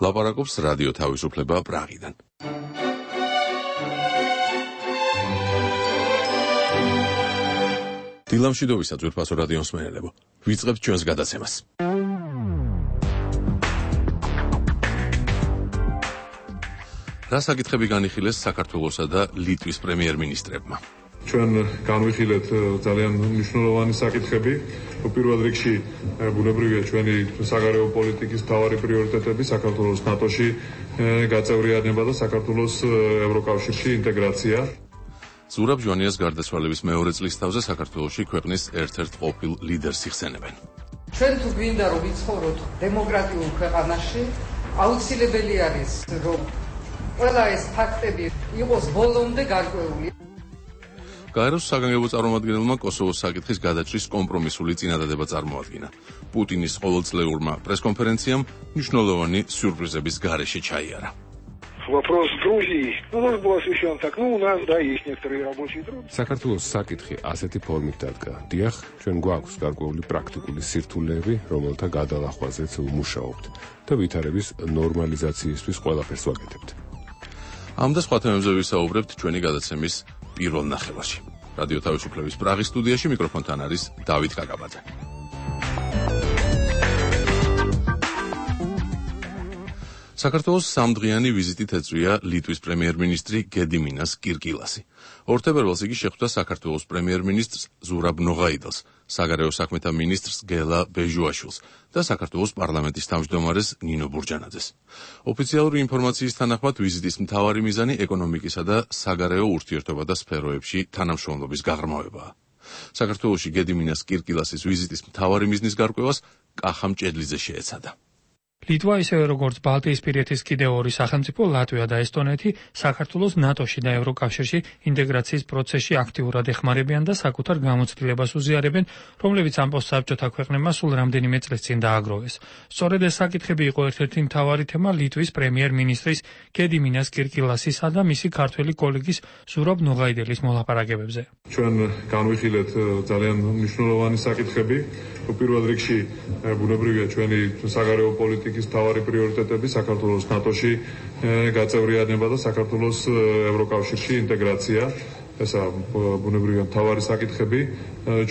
ლაპარაკობს რადიო თავისუფლება პრაღიდან. დილამშვიდობისა ძვირფასო რადიოს მსმენელებო. ვიწყებთ ჩვენს გადაცემას. რა საკითხები განიხილეს საქართველოსა და ლიტვის პრემიერ-მინისტრებმა? ჩვენ განვიხილეთ ძალიან მნიშვნელოვანი საკითხები. პირველ რიგში ბუნებრივია ჩვენი საგარეო პოლიტიკის მთავარი პრიორიტეტები საქართველოს ნატოში გაწევრიანება და საქართველოს ევროკავშირში ინტეგრაცია. ზურაბ ჟვანიას გარდაცვალების მეორე წლისთავზე საქართველოში ქვეყნის ერთ-ერთ ყოფილ ლიდერს იხსენებენ. ჩვენ თუ გვინდა რომ ვიცხოვროთ დემოკრატიულ ქვეყანაში, აუცილებელი არის რომ ყველა ეს ფაქტები იყოს ბოლომდე გარკვეული. გაეროს საგანგებო წარმომადგენელმა კოსოვოს საკითხის გადაჭრის კომპრომისული წინადადება წარმოადგინა. პუტინის ყოველწლიურმა პრესკონფერენციამ მნიშვნელოვანი სიურპრიზების გარეშე ჩაიარა. Вопрос Грузии. У нас был освещен так, у нас, да, есть некоторые рабочие труды. საქართველოს საკითხი ასეთი ფორმით დადგა. დიახ, ჩვენ გვაქვს გარკვეული პრაქტიკული სირთულეები, რომელთა გადალახვაზეც ვმუშაობთ და ვითარების ნორმალიზაციისთვის ყველაფერს ვაკეთებთ. ამ და სხვა თემებზე ვისაუბრებთ ჩვენი გადაცემის პირველ ნახევარში. რადიო თავისუფლების პრაღის სტუდიაში მიკროფონთან არის დავით კაკაბაძე. საქართველოს სამდღიანი ვიზიტით ეწვია ლიტვის პრემიერ-მინისტრი გედიმინას კირკილასი. 2 თებერვალს იგი შეხვდა საქართველოს პრემიერ-მინისტრს ზურაბ ნოღაიდელს, საგარეო საქმეთა მინისტრს გელა ბეჟუაშვილს და საქართველოს პარლამენტის თავმჯდომარეს ნინო ბურჯანაძეს. ოფიციალური ინფორმაციის თანახმად ვიზიტის მთავარი მიზანი ეკონომიკისა და საგარეო ურთიერთობა და სფეროებში თანამშრომლობის გაღრმავებაა. საქართველოში გედიმინას კირკილასის ვიზიტის მთავარი მიზნის გარკვევას კახა მჭედლიძე შეეცადა. ლიტვა ისევე როგორც ბალტიისპირეთის კიდევ 2 სახელმწიფო ლატვია და ესტონეთი საქართველოს ნატოში და ევროკავშირში ინტეგრაციის პროცესში აქტიურად ეხმარებიან და საკუთარ გამოცდილებას უზიარებენ, რომლებიც ამ პოსტსაბჭოთა ქვეყნებმა სულ რამდენიმე წლის წინ დააგროვეს. სწორედ ეს საკითხები იყო ერთ-ერთი მთავარი თემა ლიტვის პრემიერ-მინისტრის გედიმინას კირკილასისა და მისი ქართველი კოლეგის ზურაბ ნოღაიდელის მოლაპარაკებებზე. ჩვენ განვიხილეთ ძალიან მნიშვნელოვანი საკითხები. პირველ რიგში ბუნებრივია ჩვენი საგარეო პოლიტიკის მთავარი პრიორიტეტები საქართველოს ნატოში გაწევრიანება და საქართველოს ევროკავშირში ინტეგრაცია. ესა ბუნებრივია მთავარი საკითხები,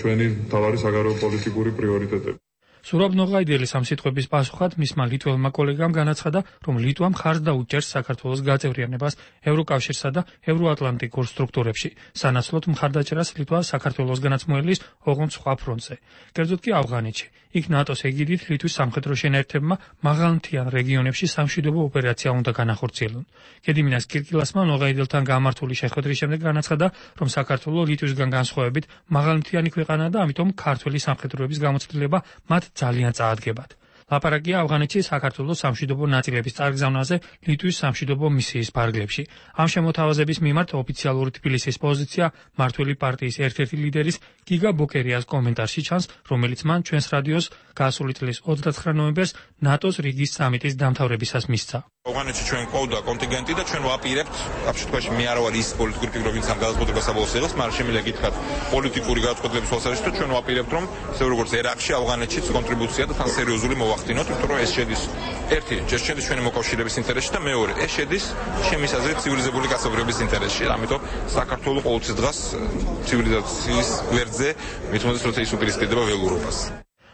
ჩვენი მთავარი საგარეო პოლიტიკური პრიორიტეტები. ზურაბ ნოღაიდელის ამ სიტყვების პასუხად მისმა ლიტველმა კოლეგამ განაცხადა, რომ ლიტვა მხარს დაუჭერს საქართველოს გაწევრიანებას ევროკავშირსა და ევროატლანტიკურ სტრუქტურებში. სანაცვლოდ მხარდაჭერას ლიტვა საქართველოსგანაც მოელის ოღონდ სხვა ფრონტზე. კერძოდ კი ავღანეთში. იქ ნატოს ეგიდით ლიტვის სამხედრო შენაერთებმა მაღალმთიან რეგიონებში სამშვიდობო ოპერაცია უნდა განახორციელონ. გედიმინას კირკილასმა ნოღაიდელთან გამართული შეხვედრის შემდეგ განაცხადა, რომ საქართველო ლიტვისგან განსხვავებით მაღალმთიანი ქვეყანაა და ამიტომ ქართველი სამხედროების გამოცდილება მათ ძალიან წაადგებათ. ლაპარაკია ავღანეთში საქართველოს სამშვიდობო ნაწილების წარგზავნაზე ლიტვის სამშვიდობო მისიის ფარგლებში. ამ შემოთავაზების მიმართ ოფიციალური თბილისის პოზიცია მართველი პარტიის ერთ-ერთი ლიდერის გიგა ბოკერიას კომენტარში ჩანს, რომელიც მან ჩვენს რადიოს გასული წლის 29 ნოემბერს ნატოს რიგის სამიტის დამთავრებისას მისცა. ავღანეთში ჩვენ ყავდა კონტინგენტი და ჩვენ ვაპირებთ, ამ შემთხვევაში მე არ ვარ ის პოლიტიკური ფიგურა, ვინც ამ გადაწყვეტილებას აბოლოს იღებს, მაგრამ შემიძლია გითხრათ პოლიტიკური გადაწყვეტილების თვალსაზრისით, თუ ჩვენ ვაპირებთ, რომ ისე როგორც ერაყში, ავღანეთშიც კონტრიბუცია და თან სერიოზული მოვახდინოთ, იმიტომ რომ ეს შედის ერთი, შედის ჩვენი მოკავშირეების ინტერესში და მეორე, ეს შედის ჩემის აზრით ცივილიზებული კაცობრიობის ინტერესში, ამიტომ საქართველოს ყოველთვის დგას ცივილიზაციის გვერდზე, მithumetes როცა ის უპირისპირდება ველურობას.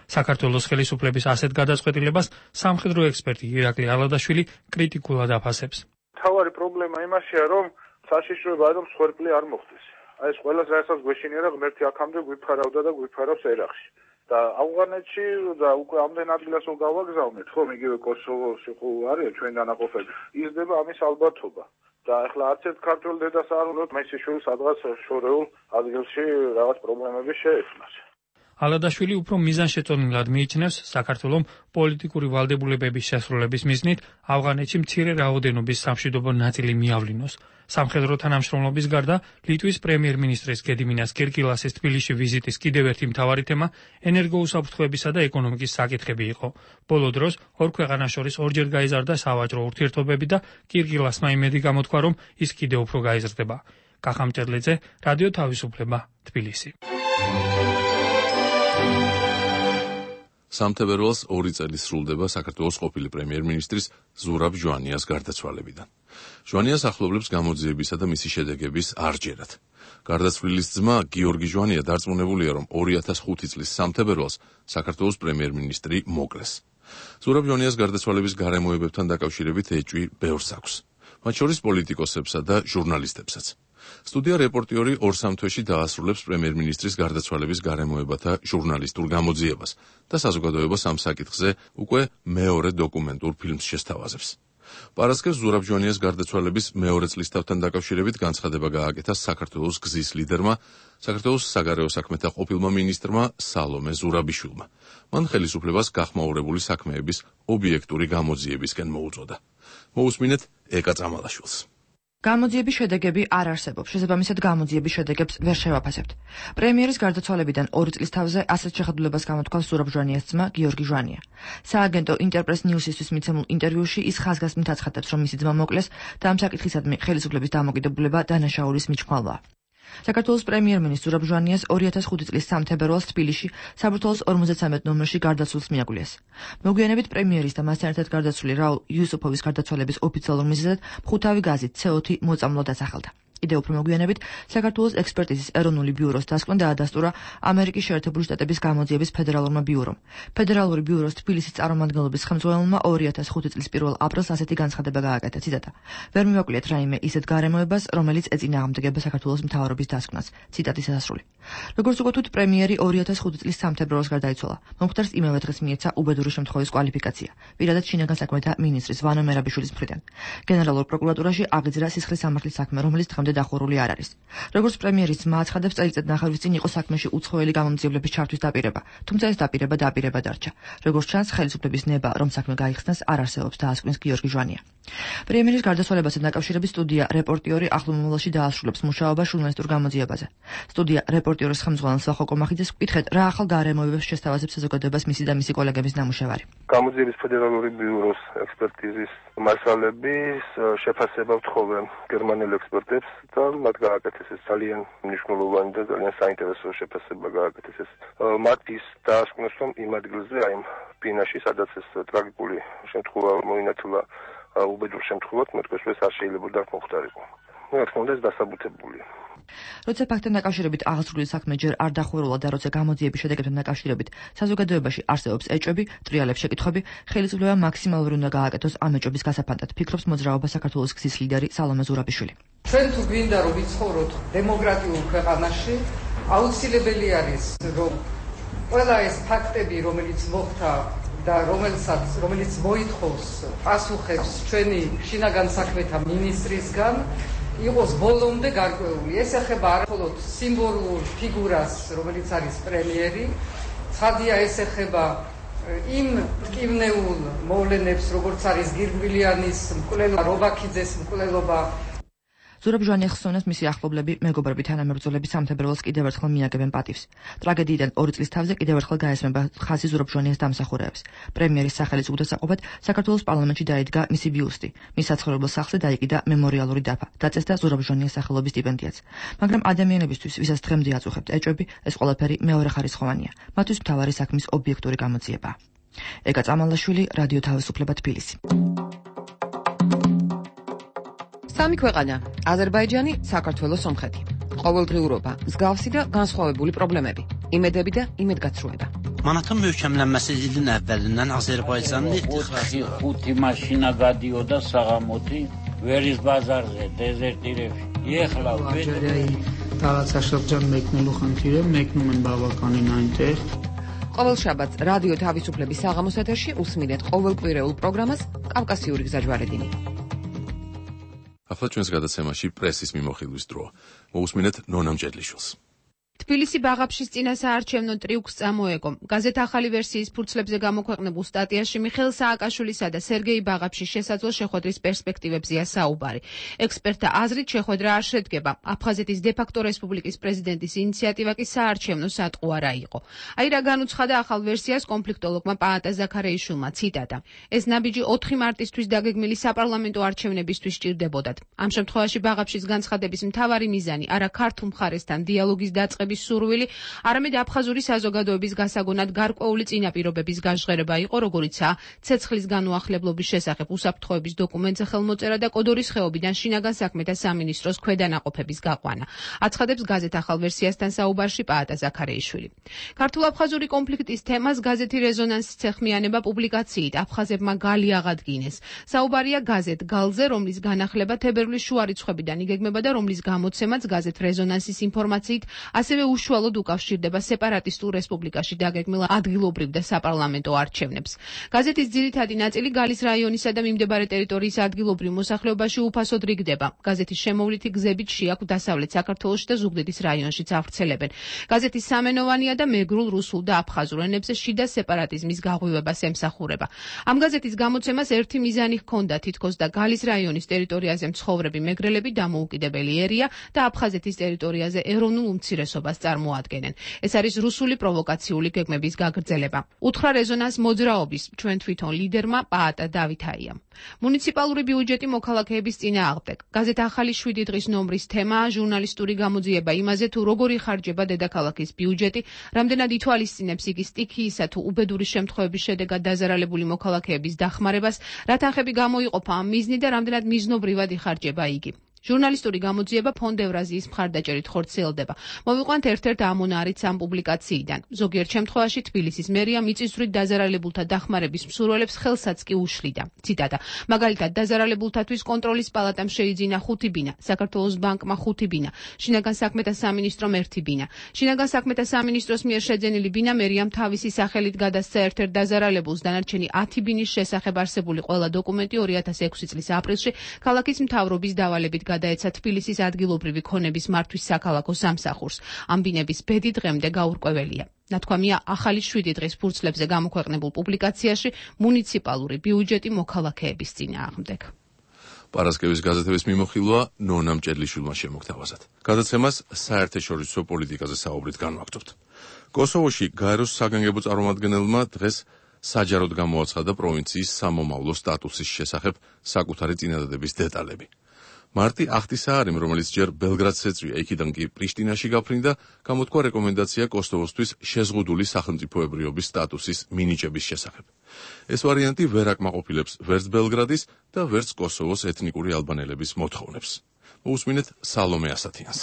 საქართველოს ხელისუფლების ასეთ გადაწყვეტილებას სამხედრო ექსპერტი ირაკლი ალადაშვილი კრიტიკულად აფასებს. თავარი პრობლემა იმაშია, რომ საშიშროება რომ სხერფლი არ მოხდეს. აი ეს ყველას რასაც გვეშინია და ღმერთი აქამდე გვიფარავდა და გვიფარავს ერაყში. და ავღანეთში და უკვე ამდენ ადგილას გავაგზავნეთ, ხო, იგივე კოსოვოში ხო არის ჩვენ დანაყოფები. იზრდება ამის ალბათობა. და ახლა არც ერთ ქართველ დედას არ უნდა მესიშვილი სადღაც შორეულ ადგილში რაღაც პრობლემები შეექმნას. ალადაშვილი უფრო მიზანშეწონილად მიიჩნევს საქართველოს პოლიტიკური ვალდებულებების შესრულების მიზნით ავღანეთში მცირე რაოდენობის სამშვიდობო ნაწილი მიავლინოს. სამხედრო თანამშრომლობის გარდა ლიტვის პრემიერ-მინისტრის გედიმინას კირკილასის თბილისში ვიზიტის კიდევ ერთი მთავარი თემა ენერგოუსაფრთხოებისა და ეკონომიკის საკითხები იყო. ბოლო დროს ორ ქვეყანას შორის ორჯერ გაიზარდა სავაჭრო ურთიერთობები და კირკილასმა იმედი გამოთქვა, რომ ის კიდევ უფრო გაიზრდება. კახა მჭედლიძე, რადიო თავისუფლება, თბილისი. სამთებერვალს 2 წელი სრულდება საქართველოს ყოფილი პრემიერ-მინისტრის ზურაბ ჟვანიას გარდაცვალებიდან. ჟვანიას ახლობლებს გამოძიებისა და მისი შედეგების არ ჯერათ. გარდაცვლილის ძმა გიორგი ჟვანია დარწმუნებულია, რომ 2005 წლის სამთებერვალს საქართველოს პრემიერ-მინისტრი მოკლეს. ზურაბ ჟვანიას გარდაცვალების გარემოებებთან დაკავშირებით ეჭვი ბევრს აქვს, მათ შორის პოლიტიკოსებსა და ჟურნალისტებსაც. სტუდია რეპორტიორი 2-3 თვეში დაასრულებს პრემიერ-მინისტრის გარდაცვალების გარემოებათა ჟურნალისტურ გამოძიებას და საზოგადოებას ამ საკითხზე უკვე მეორე დოკუმენტურ ფილმს შესთავაზებს. პარასკევს ზურაბ ჟვანიას გარდაცვალების მეორე წლისთავთან დაკავშირებით განცხადება გააკეთა საქართველოს გზის ლიდერმა, საქართველოს საგარეო საქმეთა ყოფილმა მინისტრმა სალომე ზურაბიშვილმა. მან ხელისუფლებას გახმაურებული საქმეების ობიექტური გამოძიებისკენ მოუწოდა. მოусმინეთ ეკა წამალაშვილს. გამოძიების შედეგები არ არსებობს, შესაბამისად გამოძიების შედეგებს ვერ შევაფასებთ. პრემიერის გარდაცვალებიდან 2 წლის თავზე ასეთ შეხედულებას გამოთქვამს ზურაბ ჟვანიას ძმა გიორგი ჟვანია. სააგენტო ინტერპრეს ნიუსისთვის მიცემულ ინტერვიუში ის ხაზგასმით აცხადებს, რომ მისი ძმა მოკლეს და ამ საკითხისადმი ხელისუფლების დამოკიდებულება დანაშაულის მიჩქმალვაა. საქართველოს პრემიერ-მინისტრ ზურაბ ჟვანიას 2005 წლის სამთებერვალს თბილისში საბურთალოს 53 ნომერში გარდაცვალს მიაგვლიეს. მოგვიანებით პრემიერის და მასთან ერთად გარდაცვლილი რაულ იუსუფოვის გარდაცვალების ოფიციალურ მიზეზად მხუთავი გაზით C4 მოწამვლა დასახელდა. კიდევ უფრო მოგვიანებით საქართველოს ექსპერტიზის ეროვნული ბიუროს დასკვნა დაადასტურა ამერიკის შეერთებული შტატების გამოძიების ფედერალურმა ბიურომ. ფედერალური ბიუროს თბილისის წარმომადგენლობის ხელმძღვანელმა 2005 წლის 1 აპრილს ასეთი განცხადება გააკეთა, ციტატა: ვერ მივაკვლიეთ რაიმე ისეთ გარემოებას, რომელიც ეწინააღმდეგება საქართველოს მთავრობის დასკვნას. ციტატის დასასრული. როგორც უგოთვით, პრემიერი 2005 წლის სამთებერვალს გარდაიცვალა. მომხდარს იმავე დღეს მიეცა უბედური შემთხვევის კვალიფიკაცია, პირადად შინაგან საქმეთა მინისტრის ვანო მერაბიშვილის მხრიდან. გენერალურ პროკურატურაში აღიძრა სისხლის სამართლის საქმე, რომელიც დღემდე დახურული არ არის. როგორც პრემიერის ძმა აცხადებს, წელიწადნახევრის წინ იყო საქმეში უცხოელი გამომძიებლების ჩართვის დაპირება, თუმცა ეს დაპირება დარჩა. როგორც ჩანს, ხელისუფლების ნება, რომ საქმე გაიხსნას, არ არსებობს, დაასკვნის გიორგი ჟვანია. პრემიერის გარდაცვალებასთან დაკავშირებით სტუდია რეპორტიორი ახლო მომავალში დაასრულებს მუშაობას ჟურნალისტურ გამოძიებაზე. სტუდია რეპორტიორის ხელმძღვანელს ვახო კომახიძეს ვკითხეთ, რა ახალ გარემოებებს შესთავაზებს საზოგადოებას მისი და მისი კოლეგების ნამუშევარი. გამოძიების ფედერალური ბიუროს ექსპერტიზის მასალების შეფასება ვთხოვე გერმანელ ექსპერტებს და მათ გააკეთეს ეს ძალიან მნიშვნელოვანი და ძალიან საინტერესო შეფასება გააკეთეს ეს. მათ ის დაასკვნეს, რომ იმ ადგილზე, აი ბინაში, სადაც ეს ტრაგიკული შემთხვევა მოინათლა უბედურ შემთხვევად, მეტყველს არ შეიძლება მოხდარიყო. რა თქმა უნდა, ეს დასაბუთებულია. როცა ფაქტთან დაკავშირებით აღსრულის საქმე ჯერ არ დახურულა და როცა გამოძიების შედეგებთან დაკავშირებით საზოგადოებაში არსებობს ეჭვები, ტრიალებს შეკითხვები, ხელისუფლებამ მაქსიმალური უნდა გააკეთოს ამ ეჭვების გასაფანტად, ფიქრობს მოძრაობა საქართველოს გზის ლიდერი სალომე ზურაბიშვილი. ჩვენ თუ გვინდა რომ ვიცხოვროთ დემოკრატიულ ქვეყანაში, აუცილებელი არის რომ ყველა ეს ფაქტები, რომელიც მოხდა და რომელიც მოითხოვს პასუხებს ჩვენი შინაგან საქმეთა მინისტრისგან, იყოს ბოლომდე გარკვეული. ეს ეხება არა მხოლოდ სიმბოლურ ფიგურას, რომელიც არის პრემიერი, ცხადია ეს ეხება იმ მტკივნეულ მოვლენებს, როგორც არის გირგვილიანის მკვლელობა, რობაქიძეს მკვლელობა. ზურაბ ჟვანიას ხსოვნას მისი ახლობლები, მეგობრები, თანამებრძოლები სამთებერვალს კიდევ ერთხელ მიაგებენ პატივს. ტრაგედიიდან 2 წლის თავზე კიდევ ერთხელ გაესმება ხაზი ზურაბ ჟვანიას დამსახურეებს. პრემიერის სახელის უგდასაყოფად საქართველოს პარლამენტში დაიდგა მისი ბიუსტი. მის საცხოვრებელ სახლზე დაიკიდა მემორიალური დაფა. დაწესდა ზურაბ ჟვანიას სახელობის სტიპენდიაც. მაგრამ ადამიანებისთვის, ვისაც დღემდე აწუხებთ ეჭვები, ეს ყველაფერი მეორეხარისხოვანია. მათთვის მთავარი საქმის ობიექტური გამოძიებაა. ეკა წამალაშვილი, რადიო თავისუფლება, თბილისი. სამი ქვეყანა: აზერბაიჯანი, საქართველო, სომხეთი. ყოველდღიურობა, მსგავსი და განსხვავებული პრობლემები, იმედები და იმედგაცრუება. მანათან მევჩემლენməsi ilin əvvəlindən Azərbaycanlı ixtixası 5 maşina გადიოდა საღამოთი ვერის ბაზარზე, დეზერტირებში. ეხლა დავაც აშლაბჯან მეკნელო ხანთირე, მეკნუმენ ბავაკანი ნაინტეხ. ყოველ შაბათს რადიო თავისუფლების საღამოს ეთერში უსმინეთ ყოველკვირეულ პროგრამას კავკასიური გზაჯვარედინი. ახლა ჩვენს გადაცემაში პრესის მიმოხილვის დროა. მოусმინეთ ნონა მჭედლიშვილს. თბილისი ბაღაფშის წინასაარჩევნო ტრიუქს წამოეკო. გაზეთ ახალი ვერსიის ფურცლებზე გამოქვეყნებულ სტატიაში მიხეილ სააკაშვილისა და სერგეი ბაღაფშის შესაძლო შეხვედრის პერსპექტივებზეა საუბარი. ექსპერტთა აზრით შეხვედრა არ შედგება. აფხაზეთის დე-ფაქტო რესპუბლიკის პრეზიდენტის ინიციატივა კი საარჩევნო სატყუ არა იყო. აი რა განუცხადა ახალ ვერსიას კონფლიქტოლოგმა პაატა ზაქარეიშვილმა, ციტატა: ეს ნაბიჯი 4 მარტისთვის დაგეგმილი საპარლამენტო არჩევნებისთვის სჭირდებოდათ. ამ შემთხვევაში ბაღაფშის განცხადების მთავარი მიზანი არა ქართულ მხარესთან დიალოგის დაწყების გაყალბების სურვილი, არამედ აფხაზური საზოგადოების გასაგონად გარკვეული წინაპირობების გაჟღერება იყო, როგორიცაა ცეცხლის განუახლებლობის შესახებ უსაფრთხოების დოკუმენტზე ხელმოწერა და კოდორის ხეობიდან შინაგან საქმეთა სამინისტროს ქვედანაყოფების გაყვანა. აცხადებს გაზეთ ახალ ვერსიასთან საუბარში პაატა ზაქარეიშვილი. ქართულ-აფხაზური კონფლიქტის თემას გაზეთი რეზონანსიც ეხმიანება პუბლიკაციით აფხაზებმა გალი აღადგინეს. საუბარია გაზეთ გალზე, რომლის განახლება თებერვლის შუა რიცხვებიდან იგეგმება და რომლის გამოცემაც გაზეთ რეზონანსის ინფორმაციით ასევე უშუალოდ უკავშირდება სეპარატისტულ რესპუბლიკაში დაგეგმილ ადგილობრივ და საპარლამენტო არჩევნებს. გაზეთის ძირითადი ნაწილი გალის რაიონისა და მიმდებარე ტერიტორიის ადგილობრივ მოსახლეობაში უფასოდ რიგდება. გაზეთის შემოვლითი გზებით შეაქვს დასავლეთ საქართველოში და ზუგდიდის რაიონშიც ავრცელებენ. გაზეთი სამენოვანია და მეგრულ, რუსულ და აფხაზურ ენებზე შიდა სეპარატიზმის გაღვივებას ემსახურება. ამ გაზეთის გამოცემას ერთი მიზანი ჰქონდა, თითქოს და გალის რაიონის ტერიტორიაზე მცხოვრები მეგრელები დამოუკიდებელი ერია და აფხაზეთის ტერიტორიაზე ეროვნულ უმცირესობას წარმოადგენენ. ეს არის რუსული პროვოკაციული გეგმების გაგრძელება. უთხრა რეზონანს მოძრაობის ჩვენ თვითონ ლიდერმა პაატა დავითაიამ. მუნიციპალური ბიუჯეტი მოქალაქეების წინააღმდეგ. გაზეთ ახალი 7 დღის ნომრის თემაა ჟურნალისტური გამოძიება იმაზე, თუ როგორ იხარჯება დედაქალაქის ბიუჯეტი, რამდენად ითვალისწინებს იგი სტიქიისა თუ უბედური შემთხვევების შედეგად დაზარალებული მოქალაქეების დახმარებას, რა თანხები გამოიყოფა ამ მიზნით და რამდენად მიზნობრივად იხარჯება იგი. ჟურნალისტური გამოძიება ფონდ ევრაზიის მხარდაჭერით ხორციელდება. მოვიყვანთ ერთ-ერთ ამონარიც ამ პუბლიკაციიდან. ზოგიერთ შემთხვევაში თბილისის მერია მიწისძვრით დაზარალებულთა დახმარების მსურველებს ხელსაც კი უშლიდა. ციტატა: მაგალითად, დაზარალებულთათვის კონტროლის პალატამ შეიძინა 5 ბინა, საქართველოს ბანკმა 5 ბინა, შინაგან საქმეთა სამინისტრომ 1 ბინა. შინაგან საქმეთა სამინისტროს მიერ შეძენილი ბინა მერიამ თავისი სახელით გადასცა ერთ-ერთ დაზარალებულს, დანარჩენი 10 ბინის შესახებ არსებული ყველა დოკუმენტი 2006 წლის აპრილში ქალაქის მთავრობის დავალებით გადაეცა თბილისის ადგილობრივი ქონების მართვის საქალაქო სამსახურს. ამ ბინების ბედი დღემდე გაურკვეველია. ნათქვამია ახალი 7 დღის ფურცლებზე გამოქვეყნებულ პუბლიკაციაში მუნიციპალური ბიუჯეტი მოქალაქეების წინააღმდეგ. პარასკევის გაზეთების მიმოხილვა ნონა მჭედლიშვილმა შემოგთავაზათ. გადაცემას საერთაშორისო პოლიტიკაზე საუბრით განვაგრძობთ. კოსოვოში გაეროს საგანგებო წარმომადგენელმა დღეს საჯაროდ გამოაცხადა პროვინციის სამომავლო სტატუსის შესახებ საკუთარი წინადადების დეტალები. მარტი ახტისაარიმ, რომელიც ჯერ ბელგრადს ეწვია, იქიდან კი პრიშტინაში გაფრინდა, გამოთქვა რეკომენდაცია კოსოვოსთვის შეზღუდული სახელმწიფოებრიობის სტატუსის მინიჭების შესახებ. ეს ვარიანტი ვერ აკმაყოფილებს ვერც ბელგრადის და ვერც კოსოვოს ეთნიკური ალბანელების მოთხოვნებს. მოусმინეთ სალომე ასათიანს.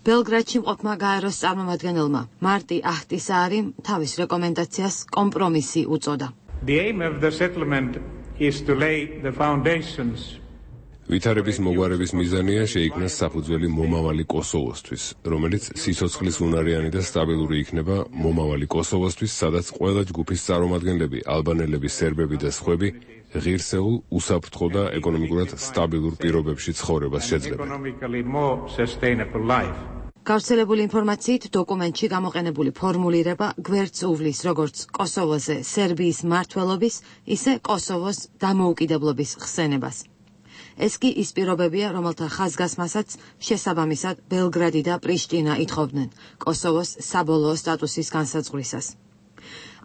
ბელგრადში მყოფმა გაეროს წარმომადგენელმა მარტი ახტისაარიმ თავის რეკომენდაციას კომპრომისი უწოდა. The aim of the settlement is to lay the foundations ვითარების მოგვარების მიზანია შეიქმნას საფუძველი მომავალი კოსოვოსთვის, რომელიც სიცოცხლის უნარიანი და სტაბილური იქნება მომავალი კოსოვოსთვის, სადაც ყველა ჯგუფის წარმომადგენლები, ალბანელები, სერბები და სხვები ღირსეულ, უსაფრთხო და ეკონომიკურად სტაბილურ პირობებში ცხოვრებას შეძლებენ. გავრცელებული ინფორმაციით დოკუმენტში გამოყენებული ფორმულირება გვერდს უვლის როგორც კოსოვოზე სერბიის მმართველობის, ისე კოსოვოს დამოუკიდებლობის ხსენებას. ეს კი ის პირობებია, რომელთა ხაზგასმასაც შესაბამისად ბელგრადი და პრიშტინა ითხოვდნენ კოსოვოს საბოლოო სტატუსის განსაზღვრისას.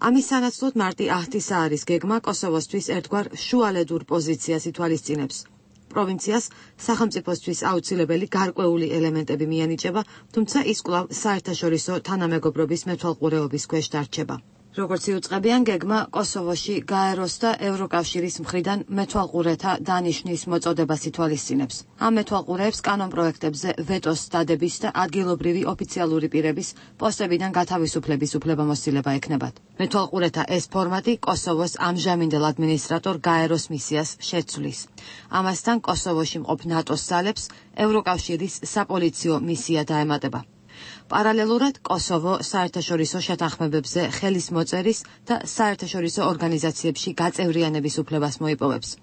ამის სანაცვლოდ მარტი ახტისაარის გეგმა კოსოვოსთვის ერთგვარ შუალედურ პოზიციას ითვალისწინებს. პროვინციას სახელმწიფოსთვის აუცილებელი გარკვეული ელემენტები მიანიჭება, თუმცა ის კვლავ საერთაშორისო თანამეგობრობის მეთვალყურეობის ქვეშ დარჩება. როგორც იუწყებიან, გეგმა კოსოვოში გაეროს და ევროკავშირის მხრიდან მეთვალყურეთა დანიშვნის მოწოდებას ითვალისწინებს. ამ მეთვალყურეებს კანონპროექტებზე ვეტოს დადების და ადგილობრივი ოფიციალური პირების პოსტებიდან გათავისუფლების უფლებამოსილება ექნებათ. მეთვალყურეთა ეს ფორმატი კოსოვოს ამჟამინდელ ადმინისტრატორ გაეროს მისიას შეცვლის. ამასთან კოსოვოში მყოფ ნატოს ძალებს ევროკავშირის საპოლიციო მისია დაემატება. პარალელურად კოსოვო საერთაშორისო შეთანხმებებზე ხელის მოწერის და საერთაშორისო ორგანიზაციებში გაწევრიანების უფლებას მოიპოვებს.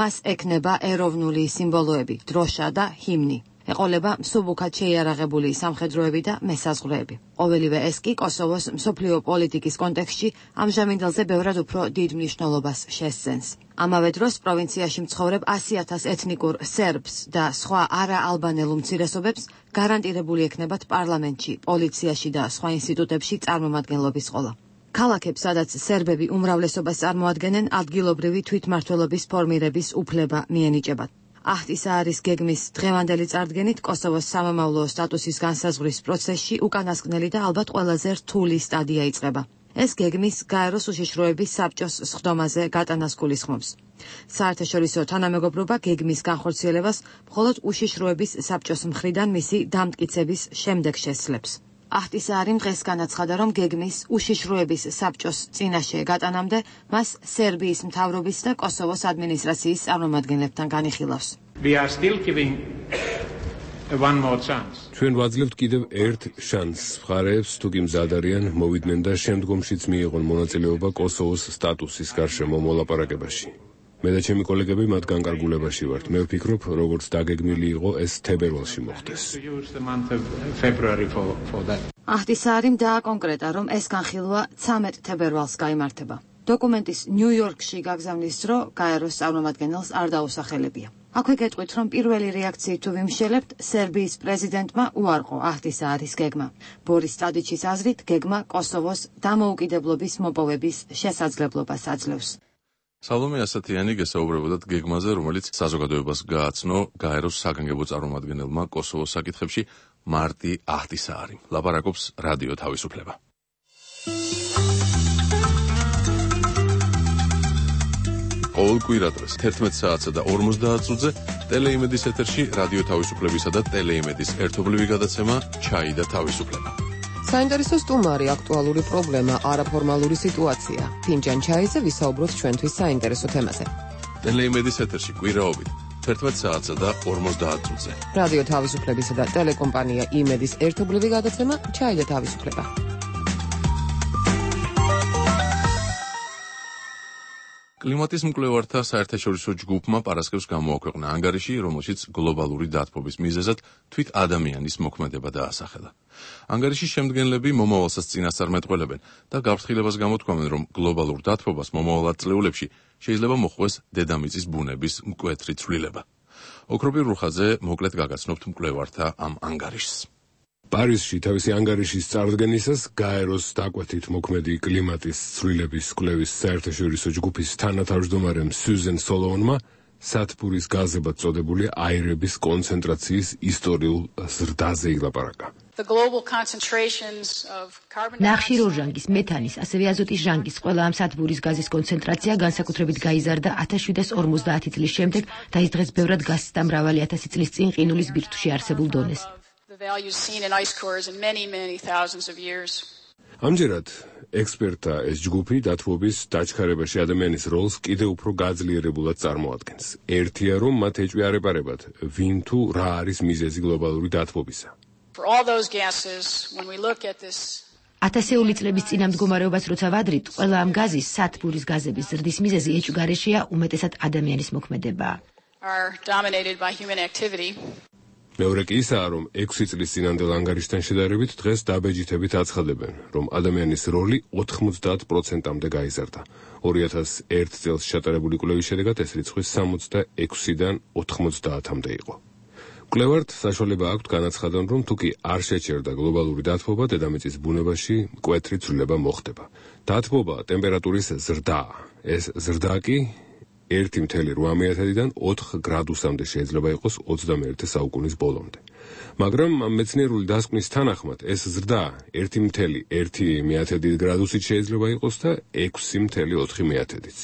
მას ექნება ეროვნული სიმბოლოები, დროშა და ჰიმნი. ეყოლება მსუბუქად შეიარაღებული სამხედროები და მესაზღვრეები. ყოველივე ეს კი კოსოვოს მსოფლიო პოლიტიკის კონტექსტში ამჟამინდელზე ბევრად უფრო დიდ მნიშვნელობას შესცენს. ამავე დროს პროვინციაში მცხოვრებ 100,000 ეთნიკურ სერბს და სხვა არაალბანელ უმცირესობებს გარანტირებული ექნებათ პარლამენტში, პოლიციაში და სხვა ინსტიტუტებში წარმომადგენლობის ყოლა. ქალაქებს, სადაც სერბები უმრავლესობას წარმოადგენენ, ადგილობრივი თვითმმართველობის ფორმირების უფლება მიენიჭებათ. აჰტისაარის გეგმის დღევანდელი წარდგენით კოსოვოს სამომავლო სტატუსის განსაზღვრის პროცესში უკანასკნელი და ალბათ ყველაზე რთული სტადია იწყება. ეს გეგმის გაეროს უშიშროების საბჭოს სხდომაზე გატანას გულისხმობს. საერთაშორისო თანამეგობრობა გეგმის განხორციელებას მხოლოდ უშიშროების საბჭოს მხრიდან მისი დამტკიცების შემდეგ შესძლებს. აჰტისაარიმ დღეს განაცხადა, რომ გეგმის უშიშროების საბჭოს წინაშე გატანამდე მას სერბიის მთავრობის და კოსოვოს ადმინისტრაციის წარმომადგენლებთან განიხილავს. ჩვენ ვაძლევთ კიდევ ერთ შანსს მხარეებს, თუ კი მზად არიან მოვიდნენ და შემდგომშიც მიიღონ მონაწილეობა კოსოვოს სტატუსის გარშემო მოლაპარაკებაში. მე და ჩემი კოლეგები მათ განკარგულებაში ვართ. მე ვფიქრობ, როგორც დაგეგმილი იყო, ეს თებერვალში მოხდეს. აჰტისაარიმ დააკონკრეტა, რომ ეს განხილვა 13 თებერვალს გაიმართება. დოკუმენტის ნიუ-იორკში გაგზავნის დრო გაეროს წარმომადგენელს არ დაუსახელებია. აქვე გეტყვით, რომ პირველი რეაქციით თუ ვიმშელებთ, სერბიის პრეზიდენტმა უარყო აჰტისაარის გეგმა. ბორის ტადიჩის აზრით, გეგმა კოსოვოს დამოუკიდებლობის მოპოვების შესაძლებლობას აძლევს. სალომე ასათიანი გესაუბრებოდათ გეგმაზე, რომელიც საზოგადოებას გააცნო გაეროს საგანგებო წარმომადგენელმა კოსოვოს საკითხებში მარტი აჰტისაარიმ. ლაპარაკობს რადიო თავისუფლება. ყოველ კვირადღეს 11 საათსა და 50 წუთზე ტელეიმედის ეთერში რადიო თავისუფლებისა და ტელეიმედის ერთობლივი გადაცემა ჩაი და თავისუფლება. საინტერესო სტუმარი, აქტუალური პრობლემა, არაფორმალური სიტუაცია. ფინჯან ჩაიზე ვისაუბროთ ჩვენთვის საინტერესო თემაზე. ტელეიმედის ეთერში კვირაობით 11 საათსა და 50 წუთზე. რადიო თავისუფლებისა და ტელეკომპანია იმედის ერთობლივი გადაცემა ჩაი და თავისუფლება. კლიმატის მკვლევართა საერთაშორისო ჯგუფმა პარასკევს გამოაქვეყნა ანგარიში, რომელშიც გლობალური დათბობის მიზეზად თვით ადამიანის მოქმედება დაასახელა. ანგარიშის შემდგენლები მომავალსაც წინასწარმეტყველებენ და გაფრთხილებას გამოთქვამენ, რომ გლობალურ დათბობას მომავალ ათწლეულებში შეიძლება მოხვდეს დედამიწის ბუნების მკვეთრი ცვლილება. ოქროპირ რუხაძე მოკლედ გაგაცნობთ მკვლევართა ამ ანგარიშს. პარიზში თავისი ანგარიშის წარდგენისას გაეროს დაკვეთით მოქმედი კლიმატის ცვლილების კვლევის საერთაშორისო ჯგუფის თანათავმჯდომარემ სიუზენ სოლოონმა სათბურის გაზებად წოდებული აირების კონცენტრაციის ისტორიულ ზრდაზე ილაპარაკა. ნახშირორჟანგის, მეთანის, ასევე აზოტის ჟანგის ყველა ამ სათბურის გაზის კონცენტრაცია განსაკუთრებით გაიზარდა 1750 წლის შემდეგ და ის დღეს ბევრად გასცდა მრავალი ათასი წლის წინ ყინულის ბირთვში არსებულ დონეს. ამჯერად ექსპერტთა ეს ჯგუფი დათბობის დაჩქარებაში ადამიანის როლს კიდევ უფრო გაძლიერებულად წარმოადგენს. ერთია, რომ მათ ეჭვიარებარებათ, ვინ თუ რა არის მიზეზი გლობალური დათბობისა. ათასეული წლების წინამდგომარეობას როცა ვადრით, ყველა ამ გაზის სათბურის გაზების ზრდის მიზეზი ეჭვგარეშეა უმეტესად ადამიანის მოქმედება. მეორე კი ისაა, რომ 6 წლის წინანდელ ანგარიშთან შედარებით დღეს დაბეჯითებით აცხადებენ, რომ ადამიანის როლი 90%-მდე გაიზარდა. 2001 წელს ჩატარებული კვლევის შედეგად ეს რიცხვი 66-დან 90-მდე იყო. მკვლევართ საშუალება აქვთ განაცხადონ, რომ თუკი არ შეჩერდა გლობალური დათბობა, დედამიწის ბუნებაში მკვეთრი ცვლილება მოხდება. დათბობა ტემპერატურის ზრდაა. ეს ზრდა კი 1,8-დან 4 გრადუსამდე შეიძლება იყოს 21 საუკუნის ბოლომდე. მაგრამ მეცნიერული დასკვნის თანახმად ეს ზრდა 1,1 გრადუსით შეიძლება იყოს და 6,4-იც.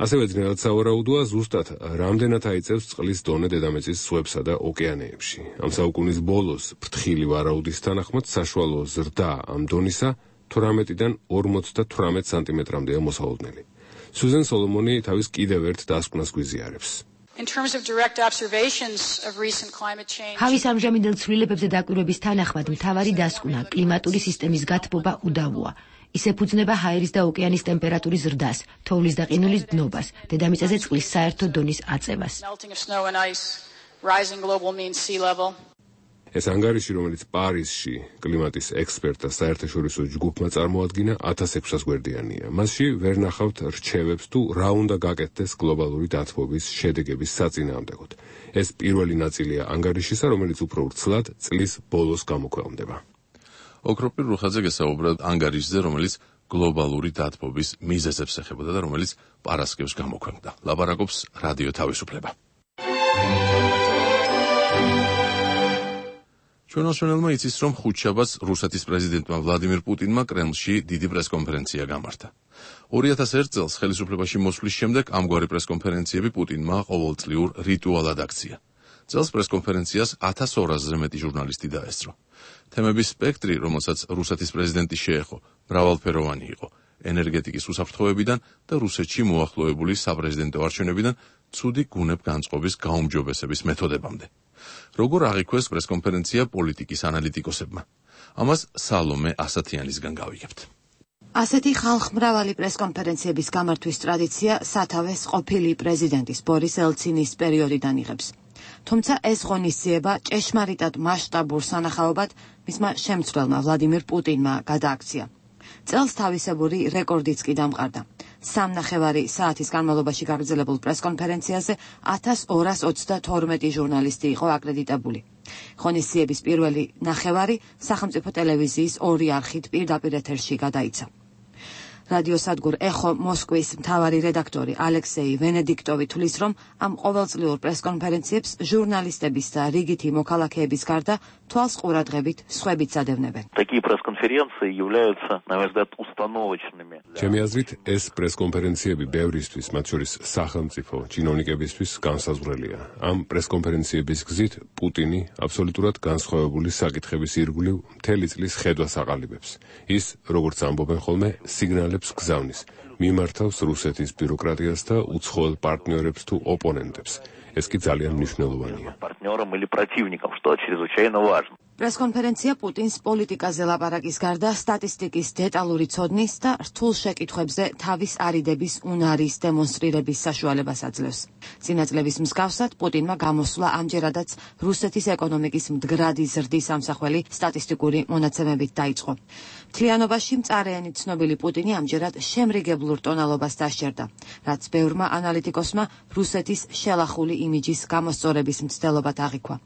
ასევე ძნელად სავარაუდოა ზუსტად რამდენად აიწევს წყლის დონე დედამიწის ზღვებსა და ოკეანეებში. ამ საუკუნის ბოლოს ფრთხილი ვარაუდის თანახმად საშუალო ზრდა ამ დონისა 18-დან 58 სანტიმეტრამდეა მოსაოდნელი. სუზენ სოლომონი თავის კიდევ ერთ დასკვნას გვიზიარებს. ჰავის ამჟამინდელ ცვლილებებზე დაკვირვების თანახმად მთავარი დასკვნა კლიმატური სისტემის გათბობა უდავოა. ის ეფუძნება ჰაერის და ოკეანის ტემპერატურის ზრდას, თოვლის და ყინულის დნობას, დედამიწაზე წყლის საერთო დონის აწევას. ეს ანგარიში, რომელიც პარიზში კლიმატის ექსპერტთა საერთაშორისო ჯგუფმა წარმოადგინა 1600 გვერდიანია. მასში ვერ ნახავთ რჩევებს თუ რა უნდა გაკეთდეს გლობალური დათბობის შედეგების საწინააღმდეგოდ. ეს პირველი ნაწილია ანგარიშისა, რომელიც უფრო ვრცლად წლის ბოლოს გამოქვეყნდება. ოქროპირ რუხაძე გესაუბრა ანგარიშზე, რომელიც გლობალური დათბობის მიზეზებს ეხებოდა და რომელიც პარასკევს გამოქვეყნდა. ლაპარაკობს რადიო თავისუფლება. ჩვენელმა იცის, რომ ხუთშაბათს რუსეთის პრეზიდენტმა ვლადიმირ პუტინმა კრემლში დიდი პრესკონფერენცია გამართა. 2001 წელს ხელისუფლებაში მოსვლის შემდეგ ამგვარი პრესკონფერენციები პუტინმა ყოველწლიურ რიტუალად აქცია. წელს პრესკონფერენციას 1200-ზე მეტი ჟურნალისტი დაესწრო. თემების სპექტრი, რომელსაც რუსეთის პრეზიდენტი შეეხო, მრავალფეროვანი იყო. ენერგეტიკის უსაფრთხოებიდან და რუსეთში მოახლოებული საპრეზიდენტო არჩევნებიდან ცუდი გუნებ განწყობის გაუმჯობესების მეთოდებამდე. როგორ აღიქვეს პრესკონფერენცია პოლიტიკის ანალიტიკოსებმა? ამას სალომე ასათიანისგან გავიგებთ. ასეთი ხალხმრავალი პრესკონფერენციების გამართვის ტრადიცია სათავეს ყოფილი პრეზიდენტის ბორის ელცინის პერიოდიდან იღებს. თუმცა ეს ღონისძიება ჭეშმარიტად მასშტაბურ სანახაობად მისმა შემცვლელმა ვლადიმირ პუტინმა გადააქცია. წელს თავისებური რეკორდიც კი დამყარდა. 3.5 საათის განმავლობაში გაგრძელებულ პრესკონფერენციაზე 1222 ჟურნალისტი იყო აკრედიტებული. ღონისძიების პირველი ნახევარი სახელმწიფო ტელევიზიის 2 არხით პირდაპირ ეთერში გადაიცა. რადიოსადგურ ეხო მოსკვის მთავარი რედაქტორი ალექსეი ვენედიქტოვი თვლის, რომ ამ ყოველწლიურ პრესკონფერენციებს ჟურნალისტების და რიგითი მოქალაქეების გარდა თვალს ყურადღებით სხვებიც ადევნებენ. Такие пресс-конференции являются, на мой взгляд, установочными. ჩემი აზრით, ეს პრესკონფერენციები ბევრისთვის, მათ შორის სახელმწიფო ჩინოვნიკებისთვის განსაზღვრელია. ამ პრესკონფერენციების გზით პუტინი აბსოლუტურად განსხვავებული საკითხების ირგვლივ მთელი წლის ხედვას აყალიბებს. ის, როგორც ამბობენ ხოლმე, სიგნალებს გზავნის, მიმართავს რუსეთის ბიუროკრატიას და უცხოელ პარტნიორებს თუ ოპონენტებს. ეს კი ძალიან მნიშვნელოვანია. партнёрам или противникам, что чрезвычайно важно. პრესკონფერენცია პუტინს პოლიტიკაზე ლაპარაკის გარდა სტატისტიკის დეტალური ცოდნის და რთულ შეკითხვებზე თავის არიდების უნარის დემონსტრირების საშუალებას აძლევს. წინა წლების მსგავსად პუტინმა გამოსვლა ამჯერადაც რუსეთის ეკონომიკის მდგრადი ზრდის ამსახველი სტატისტიკური მონაცემებით დაიწყო. მთლიანობაში მწარეენი ცნობილი პუტინი ამჯერად შემრიგებლურ ტონალობას დასჯერდა, რაც ბევრმა ანალიტიკოსმა რუსეთის შელახული იმიჯის გამოსწორების მცდელობად აღიქვა.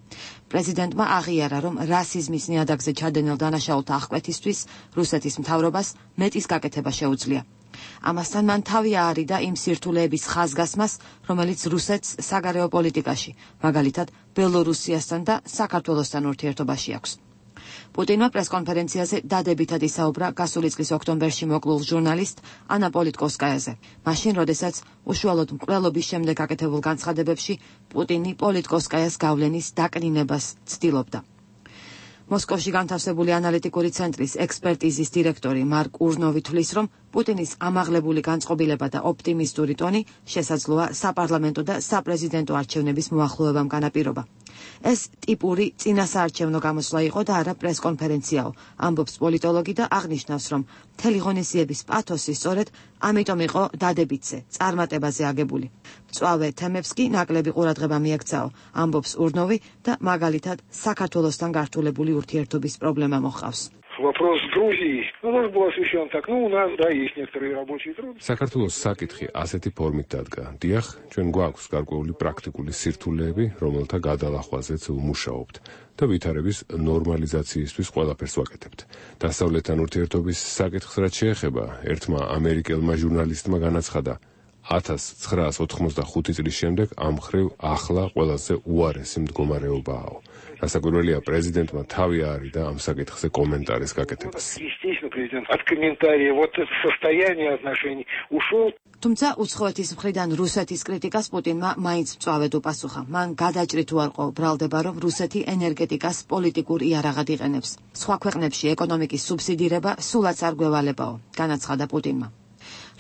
პრეზიდენტმა აღიარა, რომ რასიზმის ნიადაგზე ჩადენილ დანაშაულთა აღკვეთისთვის რუსეთის მთავრობას მეტის გაკეთება შეუძლია. ამასთან მან თავი აარიდა იმ სირთულეების ხაზგასმას, რომელიც რუსეთს საგარეო პოლიტიკაში, მაგალითად ბელორუსიასთან და საქართველოსთან ურთიერთობაში აქვს. პუტინმა პრესკონფერენციაზე დადებითად ისაუბრა გასული წლის ოქტომბერში მოკლულ ჟურნალისტ ანა პოლიტკოვსკაიაზე. მაშინ, როდესაც უშუალოდ მკვლელობის შემდეგ გაკეთებულ განცხადებებში პუტინი პოლიტკოვსკაიას გავლენის დაკნინებას ცდილობდა. მოსკოვში განთავსებული ანალიტიკური ცენტრის ექსპერტიზის დირექტორი მარკ ურნოვი თვლის, რომ პუტინის ამაღლებული განწყობილება და ოპტიმისტური ტონი შესაძლოა საპარლამენტო და საპრეზიდენტო არჩევნების მოახლოებამ განაპირობა. ეს ტიპური წინასაარჩევნო გამოსვლა იყო და არა პრესკონფერენციაო, ამბობს პოლიტოლოგი და აღნიშნავს, რომ მთელი ღონისძიების პათოსი სწორედ ამიტომ იყო დადებითზე, წარმატებაზე აგებული. მწვავე თემებს კი ნაკლები ყურადღება მიექცაო, ამბობს ურნოვი და მაგალითად საქართველოსთან გართულებული ურთიერთობის პრობლემა მოჰყავს. Вопрос с Грузией. Ну, тоже был освещен так. Ну, у нас, да, есть некоторые рабочие трудности. საქართველოს საკითხი ასეთი ფორმით დადგა. დიახ, ჩვენ გვაქვს გარკვეული პრაქტიკული სირთულეები, რომელთა გადალახვაზეც ვმუშაობთ და ვითარების ნორმალიზაციისთვის ყველაფერს ვაკეთებთ. დასავლეთთან ურთიერთობის საკითხს რაც შეეხება, ერთმა ამერიკელმა ჟურნალისტმა განაცხადა, 1985 წლის შემდეგ ამ მხრივ ახლა ყველაზე უარესი მდგომარეობაა. Расაკვირველია პრეზიდენტმა თავი აარიდა ამ საკითხზე კომენტარის გაკეთებას. Естественно, президент от комментария вот это состояние отношений ушел. თუმცა უცხოეთის მხრიდან რუსეთის კრიტიკას პუტინმა მაინც მწვავედ უპასუხა. მან გადაჭრით უარყო ბრალდება, რომ რუსეთი ენერგეტიკას პოლიტიკურ იარაღად იყენებს. სხვა ქვეყნებში ეკონომიკის სუბსიდირება სულაც არ გვევალებაო, განაცხადა პუტინმა.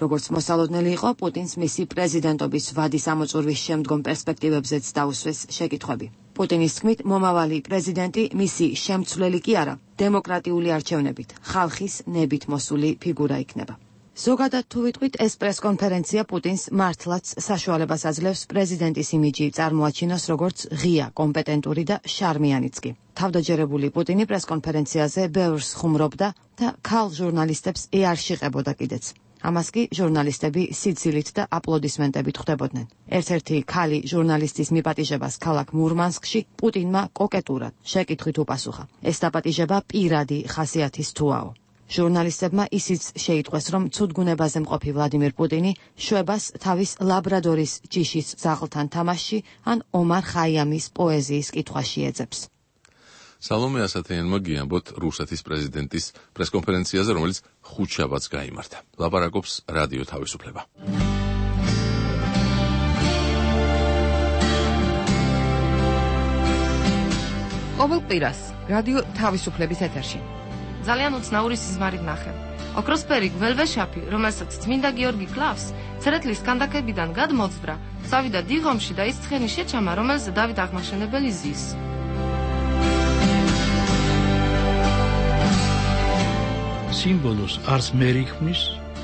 როგორც მოსალოდნელი იყო, პუტინს მისი პრეზიდენტობის ვადის ამოწურვის შემდგომ პერსპექტივებზეც დაუსვეს შეკითხვები. პუტინის თქმით, მომავალი პრეზიდენტი მისი შემცვლელი კი არა, დემოკრატიული არჩევნებით, ხალხის ნებით მოსული ფიგურა იქნება. ზოგადად თუ ვიტყვით, ეს პრესკონფერენცია პუტინს მართლაც საშუალებას აძლევს პრეზიდენტის იმიჯი წარმოაჩინოს როგორც ღია, კომპეტენტური და შარმიანიც კი. თავდაჯერებული პუტინი პრესკონფერენციაზე ბევრს ხუმრობდა და ქალ ჟურნალისტებს არ შეყებოდა კიდეც. ამას კი ჟურნალისტები სიცილით და აპლოდისმენტებით ხვდებოდნენ. ერთ-ერთი ქალი ჟურნალისტის მიპატიჟებას ქალაქ მურმანსკში პუტინმა კოკეტურად შეკითხვით უპასუხა. ეს დაპატიჟება პირადი ხასიათის თუაო. ჟურნალისტებმა ისიც შეიტყვეს, რომ ცუდგუნებაზე მყოფი ვლადიმერ პუტინი შვებას თავის ლაბრადორის ჯიშის ძაღლთან თამაშში ან ომარ ხაიამის პოეზიის კითხვაში ეძებს. სალომე ასათიანმა გიამბოთ რუსეთის პრეზიდენტის პრესკონფერენციაზე, რომელიც ხუთშაბათს გაიმართა. ლაპარაკობს რადიო თავისუფლება. ყოველ კვირას რადიო თავისუფლების ეთერში. ძალიან უცნაური სიზმარით ნახე. ოქროსფერი გველვეშაპი, რომელსაც წმინდა გიორგი კლავს, ცერეთლის კანდაკებიდან გადმოძვრა, წავიდა დიღომში და ის ცხენი შეჩამა, რომელზე დავით აღმაშენებელი ზის. სიმბოლოს არც მერი ქმნის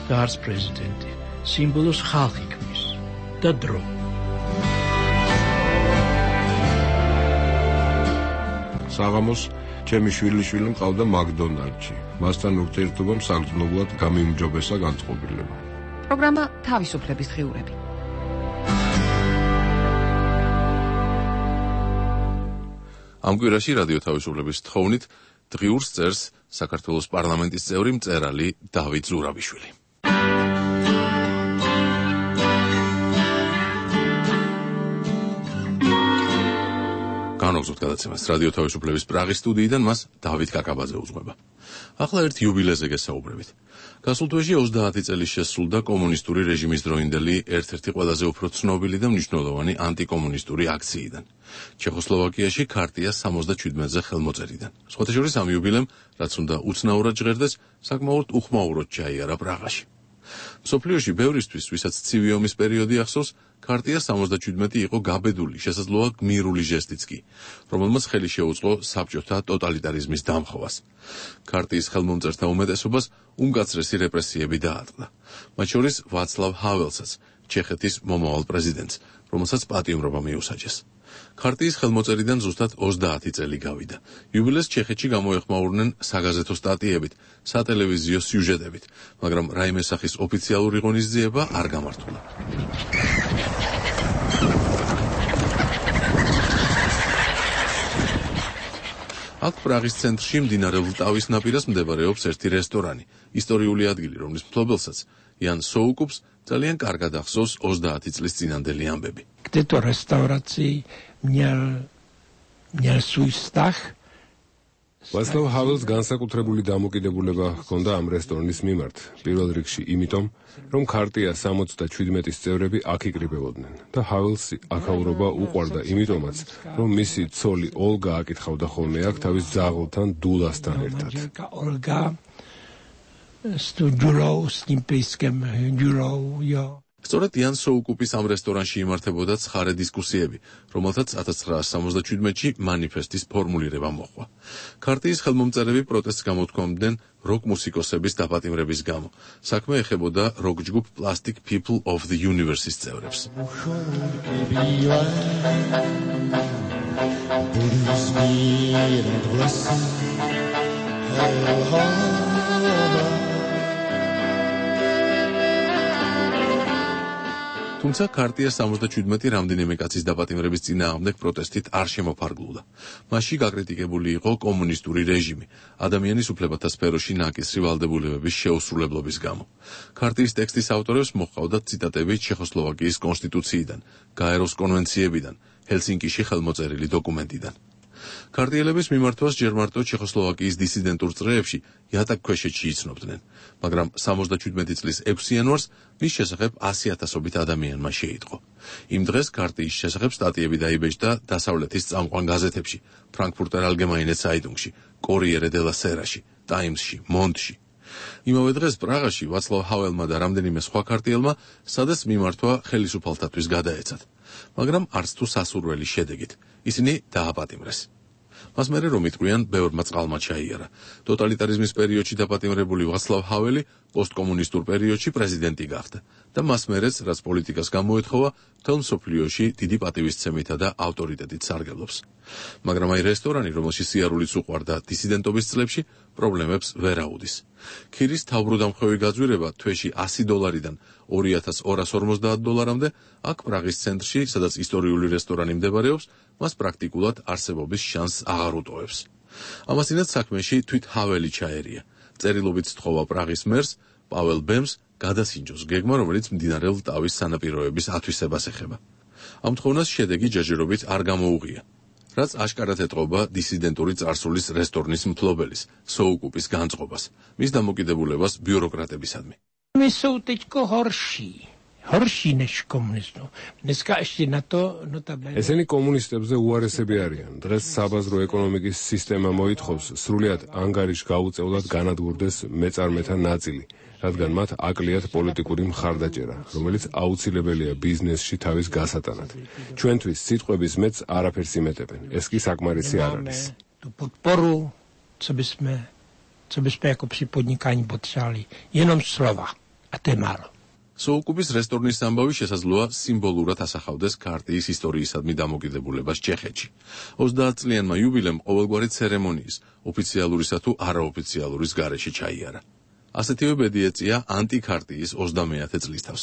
და არც პრეზიდენტი. სიმბოლოს ხალხი ქმნის და დრო. საღამოს ჩემი შვილიშვილი მყავდა მაკდონალდში. მასთან ურთიერთობამ საგრძნობლად გამიმჯობესა განწყობილება. პროგრამა თავისუფლების დღიურები. ამ კვირაში რადიო თავისუფლების თხოვნით დღიურს წერს საქართველოს პარლამენტის წევრი მწერალი დავით ზურაბიშვილი. განვაგრძობთ გადაცემას რადიო თავისუფლების პრაღის სტუდიიდან, მას დავით კაკაბაძე უძღვება. ახლა ერთ იუბილეზე გესაუბრებით. გასულ თვეში 30 წელი შესრულდა კომუნისტური რეჟიმის დროინდელი ერთ-ერთი ყველაზე უფრო ცნობილი და მნიშვნელოვანი ანტიკომუნისტური აქციიდან. ჩეხოსლოვაკიაში ქარტია 77-ზე ხელმოწერიდან. სხვათა შორის ამ იუბილემ, რაც უნდა უცნაურად ჟღერდეს, საკმაოდ უხმაუროდ ჩაიარა პრაღაში. მსოფლიოში ბევრისთვის, ვისაც ცივი ომის პერიოდი ახსოვს, ქარტია 77 იყო გაბედული, შესაძლოა გმირული ჟესტიც კი, რომელმაც ხელი შეუწყო საბჭოთა ტოტალიტარიზმის დამხობას. ქარტიის ხელმომწერთა უმეტესობას უმკაცრესი რეპრესიები დაატყდა. მათ შორის ვაცლავ ჰაველსაც, ჩეხეთის მომავალ პრეზიდენტს, რომელსაც პატიმრობა მიუსაჯეს. ქარტიის ხელმოწერიდან ზუსტად 30 წელი გავიდა. იუბილეს ჩეხეთში გამოეხმაურნენ საგაზეთო სტატიებით, სატელევიზიო სიუჟეტებით, მაგრამ რაიმე სახის ოფიციალური ღონისძიება არ გამართულა. აქ პრაღის ცენტრში მდინარე ლტავის ნაპირას მდებარეობს ერთი რესტორანი, ისტორიული ადგილი, რომლის მფლობელსაც იან სოუკუპს ძალიან კარგად ახსოვს 30 წლის წინანდელი ამბები. Kde-to restaurací měl svůj vztah. ვაცლავ ჰაველს განსაკუთრებული დამოკიდებულება ჰქონდა ამ რესტორნის მიმართ, პირველ რიგში იმიტომ, რომ ქარტია 77-ის წევრები აქ იკრიბებოდნენ და ჰაველსი აქაურობა უყვარდა იმიტომაც, რომ მისი ცოლი ოლგა აკითხავდა ხოლმე აქ თავის ძაღლთან დულასთან ერთად. Olga s tou Ďurou, s tím pejskem Ďurou, jo. სწორედ იან სოუკუპის ამ რესტორანში იმართებოდა ცხარე დისკუსიები, რომელთაც 1977-ში მანიფესტის ფორმულირება მოჰყვა. ქარტიის ხელმომწერები პროტესტს გამოთქვამდნენ როკ მუსიკოსების დაპატიმრების გამო. საქმე ეხებოდა როკ ჯგუფ Plastic People of the Universe-ის წევრებს. თუმცა ქარტია 77 რამდენიმე კაცის დაპატიმრების წინააღმდეგ პროტესტით არ შემოფარგლულა. მასში გაკრიტიკებული იყო კომუნისტური რეჟიმი, ადამიანის უფლებათა სფეროში ნაკისრი ვალდებულებების შეუსრულებლობის გამო. ქარტიის ტექსტის ავტორებს მოჰყავდათ ციტატები ჩეხოსლოვაკიის კონსტიტუციიდან, გაეროს კონვენციებიდან, ჰელსინკიში ხელმოწერილი დოკუმენტიდან. ქარტიელების მიმართვას ჯერ მარტო ჩეხოსლოვაკიის დისიდენტურ წრეებში იატაკქვეშეთში იცნობდნენ, მაგრამ 77 წლის 6 იანვარს მის შესახებ 100,000-ობით ადამიანმა შეიტყო. იმ დღეს ქარტიის შესახებ სტატიები დაიბეჭდა დასავლეთის წამყვან გაზეთებში, ფრანკფურტერ ალგემაინე ცაიტუნგში, კორიერე დე ლა სერაში, ტაიმსში, მონდში. იმავე დღეს პრაღაში ვაცლავ ჰაველმა და რამდენიმე სხვა ქარტიელმა სადაც მიმართვა ხელისუფალთათვის გადაეცათ, მაგრამ არც თუ სასურველი შედეგით. ისინი დააპატიმრეს. მას მერე რომ იტყვიან, ბევრმა წყალმა ჩაიარა. ტოტალიტარიზმის პერიოდში დაპატიმრებული ვაცლავ ჰაველი პოსტკომუნისტურ პერიოდში პრეზიდენტი გახდა და მას მერეც, რაც პოლიტიკას გამოეთხოვა, მთელ მსოფლიოში დიდი პატივისცემითა და ავტორიტეტით სარგებლობს. მაგრამ აი რესტორანი, რომელშიც სიარულიც უყვარდა დისიდენტობის წლებში, პრობლემებს ვერ აუდის. ქირის თავბრუდამხვევი გაძვირება თვეში $100-დან $2,250-მდე, აქ პრაღის ცენტრში, სადაც ისტორიული რესტორანი მდებარეობს, მას პრაქტიკულად არსებობის შანსს აღარ უტოვებს. ამასთანავე საქმეში თვით ჰაველი ჩაერია. წერილობით სთხოვა პრაღის მერს პაվել ბემს გადასინჯოს გეგმა, რომელიც მდინარე ლტავის სანაპიროების ათვისებას ეხება. ამ თხოვნას შედეგი ჯერჯერობით არ გამოუღია, რაც აშკარად ეტყობა დისიდენტური წარსულის რესტორნის მფლობელის სოუკუპის განწყობას, მის დამოკიდებულებას ბიუროკრატებისადმი. ესენი კომუნისტებზე უარესები არიან. დღეს საბაზრო ეკონომიკის სისტემა მოითხოვს სრულიად ანგარიშ გაუწევლად განადგურდეს მეწარმეთა ნაწილი, რადგან მათ აკლიათ პოლიტიკური მხარდაჭერა, რომელიც აუცილებელია ბიზნესში თავის გასატანად. ჩვენთვის სიტყვების მეც არაფერს იმეტებენ. ეს კი საკმარისი არ არის. სოუკუპის რესტორნის ამბავი შესაძლოა სიმბოლურად ასახავდეს ქარტიის ისტორიისადმი დამოკიდებულებას ჩეხეთში. 30 წლიანმა იუბილემ ყოველგვარი ცერემონიის, ოფიციალურისა თუ არაოფიციალურის გარეშე ჩაიარა. ასეთივე ბედი ეწია ანტიქარტიის 30-ე წლისთავს.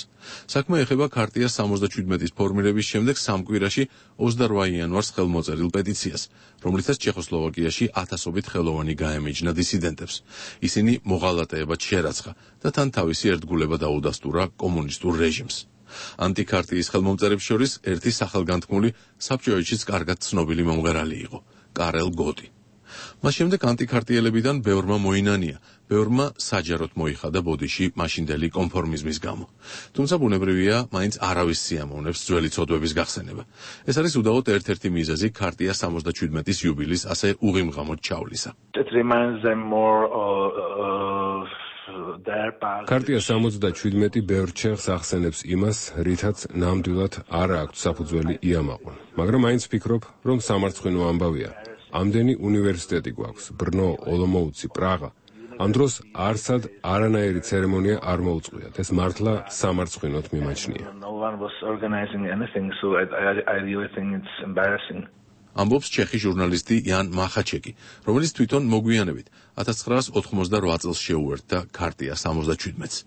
საქმე ეხება ქარტიას 77-ის ფორმირების შემდეგ 3 კვირაში 28 იანვარს ხელმოწერილ პეტიციას, რომლითაც ჩეხოსლოვაკიაში ათასობით ხელოვანი გაემიჯნა დისიდენტებს. ისინი მოღალატეებად შერაცხა და თან თავისი ერთგულება დაუდასტურა კომუნისტურ რეჟიმს. ანტიქარტიის ხელმომწერებს შორის ერთი სახელგანთქმული საბჭოეთშიც კარგად ცნობილი მომღერალი იყო, კარელ გოტი. მას შემდეგ ანტიქარტიელებიდან ბევრმა მოინანია, ბევრმა საჯაროდ მოიხადა ბოდიში მაშინდელი კონფორმიზმის გამო. თუმცა ბუნებრივია, მაინც არავის სიამოვნებს ძველი ცოდვების გახსენება. ეს არის უდავოდ ერთ-ერთი მიზეზი ქარტია 77-ის იუბილის ასე უღიმღამოდ ჩავლისა. ქარტია 77 ბევრ ჩეხს ახსენებს იმას, რითაც ნამდვილად არ აქვს საფუძველი იამაყონ. მაგრამ მაინც ვფიქრობ, რომ სამარცხვინო ამბავია. ამდენი უნივერსიტეტი გვაქვს, ბრნო, ოლომოუცი, პრაღა. ამ დროს არსად არანაირი ცერემონია არ მოუწყვიათ. ეს მართლა სამარცხვინოდ მიმაჩნია. ამბობს ჩეხი ჟურნალისტი იან მახაჩეკი, რომელიც თვითონ მოგვიანებით 1988 წელს შეუერთდა ქარტია 77-ს.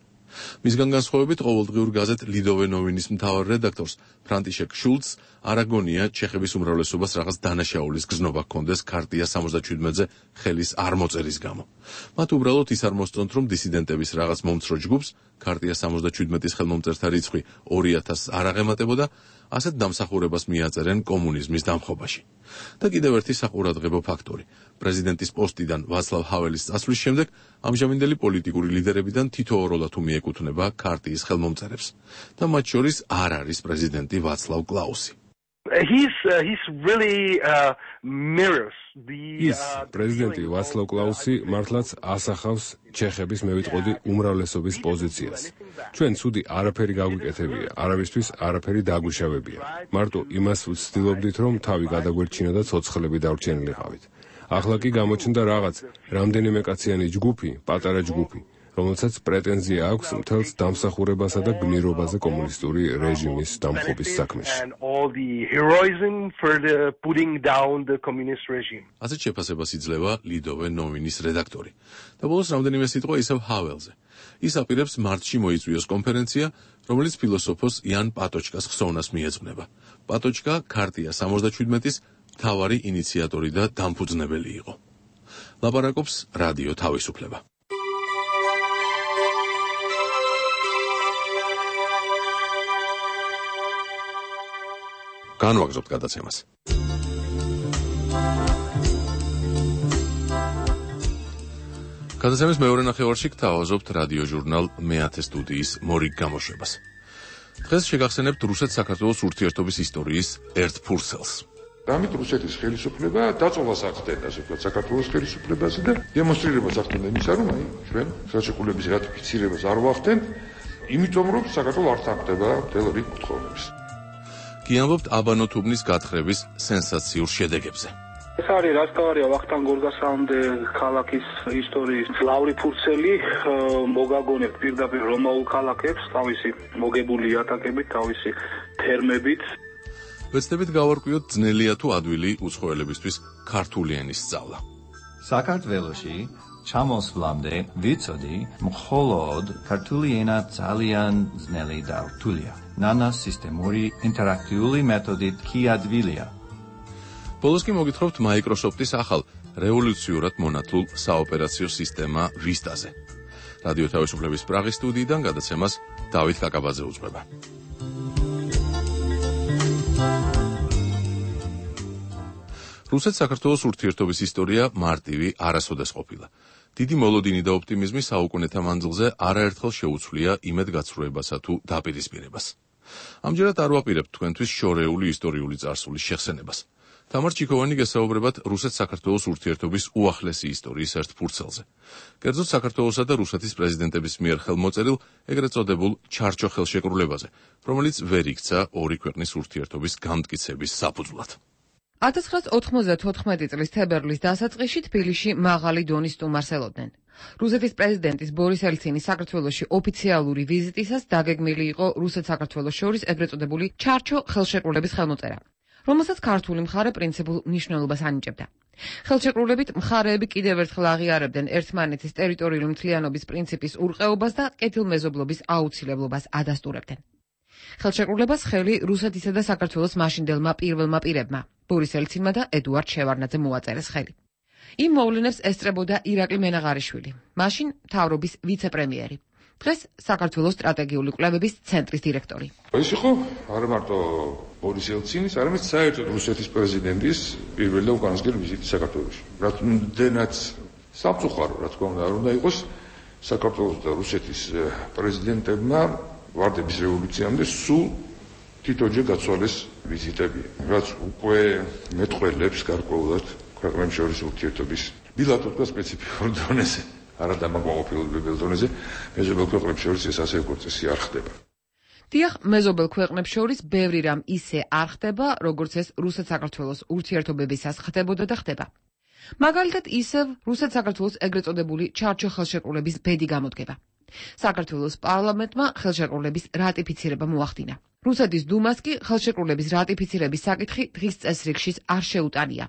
მისგან განსხვავებით ყოველდღიურ გაზეთ ლიდოვე ნოვინის მთავარ რედაქტორს ფრანტიშეკ შულცს არ აგონია ჩეხების უმრავლესობას რაღაც დანაშაულის გზნობა ჰქონდეს ქარტია 77-ზე ხელის არ მოწერის გამო. მათ უბრალოდ ის არ მოსწონთ, რომ დისიდენტების რაღაც მომცრო ჯგუფს ქარტია 77-ის ხელმომწერთა რიცხვი 2000-ს არ აღემატებოდა, ასეთ დამსახურებას მიაწერენ კომუნიზმის დამხობაში. და კიდევ ერთი საყურადღებო ფაქტორი. პრეზიდენტის პოსტიდან ვაცლავ ჰაველის წასვლის შემდეგ ამჟამინდელი პოლიტიკური ლიდერებიდან თითოეულად თუ მიეკუთვნება ქარტიის ხელმომწერებს და მათ შორის არ არის პრეზიდენტი ვაცლავ კლაუსი. პრეზიდენტი ვაცლავ კლაუსი მართლაც ასახავს ჩეხების მევიტყოდი უმრავლესობის პოზიციას. ჩვენ ცუდი არაფერი გაგვიკეთებია, არავისთვის არაფერი დაგვიშავებია. მარტო იმას ვცდილობდით, რომ თავი გადაგვერჩინა და ცოცხლები დავრჩენილიყავით. ახლა კი გამოჩნდა რაღაც რამდენიმე კაციანი ჯგუფი, პატარა ჯგუფი, რომელსაც პრეტენზია აქვს მთელს დამსახურებასა და გმირობაზე კომუნისტური რეჟიმის დამხობის საქმეში. ასეთ შეფასებას იძლევა ლიდოვე ნოვინის რედაქტორი. და ბოლოს რამდენიმე სიტყვა ისევ ჰაველზე. ის აპირებს მარტში მოიწვიოს კონფერენცია, რომელიც ფილოსოფოს იან პატოჩკას ხსოვნას მიეძღვნება. პატოჩკა ქარტია 77-ის მთავარი ინიციატორი და დამფუძნებელი იყო. ლაპარაკობს რადიო თავისუფლება. განვაგრძობთ გადაცემას. გადაცემის მეორე ნახევარში გთავაზობთ რადიო ჟურნალ მეათე სტუდიის მორიგ გამოშვებას. დღეს შეგახსენებთ რუსეთ-საქართველოს ურთიერთობის ისტორიის ერთ ფურცელს. ამით რუსეთის ხელისუფლება დაწოლას ახდენდა, ასე ვთქვათ, საქართველოს ხელისუფლებაზე და დემონსტრირებას ახდენდა იმისა, რომ ჩვენ ხელშეკრულების რატიფიცირებას არ ვახდენთ, იმიტომ რომ საქართველო არ თანხმდება მთელ რიგ კუთხეებს. კი ამბობთ აბანოთუბნის გათხრების სენსაციურ შედეგებზე. ეს არის რასთავარია ვახტანგ გორგასამდე ქალაქის ისტორიის ლავრი ფურცელი მოგაგონებთ პირდაპირ რომაულ ქალაქებს თავისი მოგებული ატაკებით, თავისი თერმებით. ვეცდებით გავარკვიოთ ძნელია თუ ადვილი უცხოელებისთვის ქართული ენის სწავლა. საქართველოში ჩამოსვლამდე ვიცოდი, მხოლოდ ქართული ენა ძალიან ძნელი და რთულია. ნანა სისტემური ინტერაქტიული მეთოდით კი ადვილია. ბოლოს კი მოგითხრობთ Microsoft-ის ახალ რევოლუციურად მონათლულ საოპერაციო სისტემა ვისტაზე. რადიო თავისუფლების პრაღის სტუდიიდან გადაცემას დავით კაკაბაძე უძღვება. რუსეთ-საქართველოს ურთიერთობის ისტორია მარტივი არასოდეს ყოფილა. დიდი მოლოდინი და ოპტიმიზმი საუკუნეთა მანძილზე არაერთხელ შეუცვლია იმედგაცრუებასა თუ დაპირისპირებას. ამჯერად არ ვაპირებთ თქვენთვის შორეული ისტორიული წარსულის შეხსენებას. თამარ ჩიქოვანი გესაუბრებათ რუსეთ-საქართველოს ურთიერთობის უახლესი ისტორიის ერთ ფურცელზე. კერძოდ საქართველოსა და რუსეთის პრეზიდენტების მიერ ხელმოწერილ ეგრეთ წოდებულ ჩარჩო ხელშეკრულებაზე, რომელიც ვერ იქცა ორი ქვეყნის ურთიერთობის განმტკიცების საფუძვლად. 1994 წლის თებერვლის დასაწყისში თბილისში მაღალი დონის სტუმარს ელოდნენ. რუსეთის პრეზიდენტის ბორის ელცინის საქართველოში ოფიციალური ვიზიტისას დაგეგმილი იყო რუსეთ-საქართველოს შორის ეგრეთ წოდებული ჩარჩო ხელშეკრულების ხელმოწერა, რომელსაც ქართული მხარე პრინციპულ მნიშვნელობას ანიჭებდა. ხელშეკრულებით მხარეები კიდევ ერთხელ აღიარებდნენ ერთმანეთის ტერიტორიული მთლიანობის პრინციპის ურყეობას და კეთილმეზობლობის აუცილებლობას ადასტურებდნენ. ხელშეკრულებას ხელი რუსეთისა და საქართველოს მაშინდელმა პირველმა პირებმა, ბორის ელცინმა და ედუარდ შევარდნაძემ მოაწერეს ხელი. იმ მოვლენებს ესწრებოდა ირაკლი მენაღარიშვილი, მაშინ მთავრობის ვიცე-პრემიერი, დღეს საქართველოს სტრატეგიული კვლევების ცენტრის დირექტორი. ეს იყო არა მარტო ბორის ელცინის, არამედ საერთოდ რუსეთის პრეზიდენტის პირველი და უკანასკნელი ვიზიტი საქართველოში. რამდენად სამწუხარო, რა თქმა უნდა, არ უნდა იყოს საქართველოს და რუსეთის პრეზიდენტებმა ვარდების რევოლუციამდე სულ თითოჯერ გაცვალეს ვიზიტები, რაც უკვე მეტყველებს გარკვეულად ქვეყნებს შორის ურთიერთობის ბილატერალურ სპეციფიკურ დონეზე, არა დამაკმაყოფილებელ დონეზე, მეზობელ ქვეყნებს შორის ეს ასე როგორც წესი არ ხდება. დიახ, მეზობელ ქვეყნებს შორის ბევრი რამ ისე არ ხდება, როგორც ეს რუსეთ-საქართველოს ურთიერთობებისას ხდებოდა და ხდება. მაგალითად, ისევ რუსეთ-საქართველოს ეგრეთ წოდებული ჩარჩო ხელშეკრულების ბედი გამოდგება. საქართველოს პარლამენტმა ხელშეკრულების რატიფიცირება მოახდინა. რუსეთის დუმას კი ხელშეკრულების რატიფიცირების საკითხი დღის წესრიგში არ შეუტანია.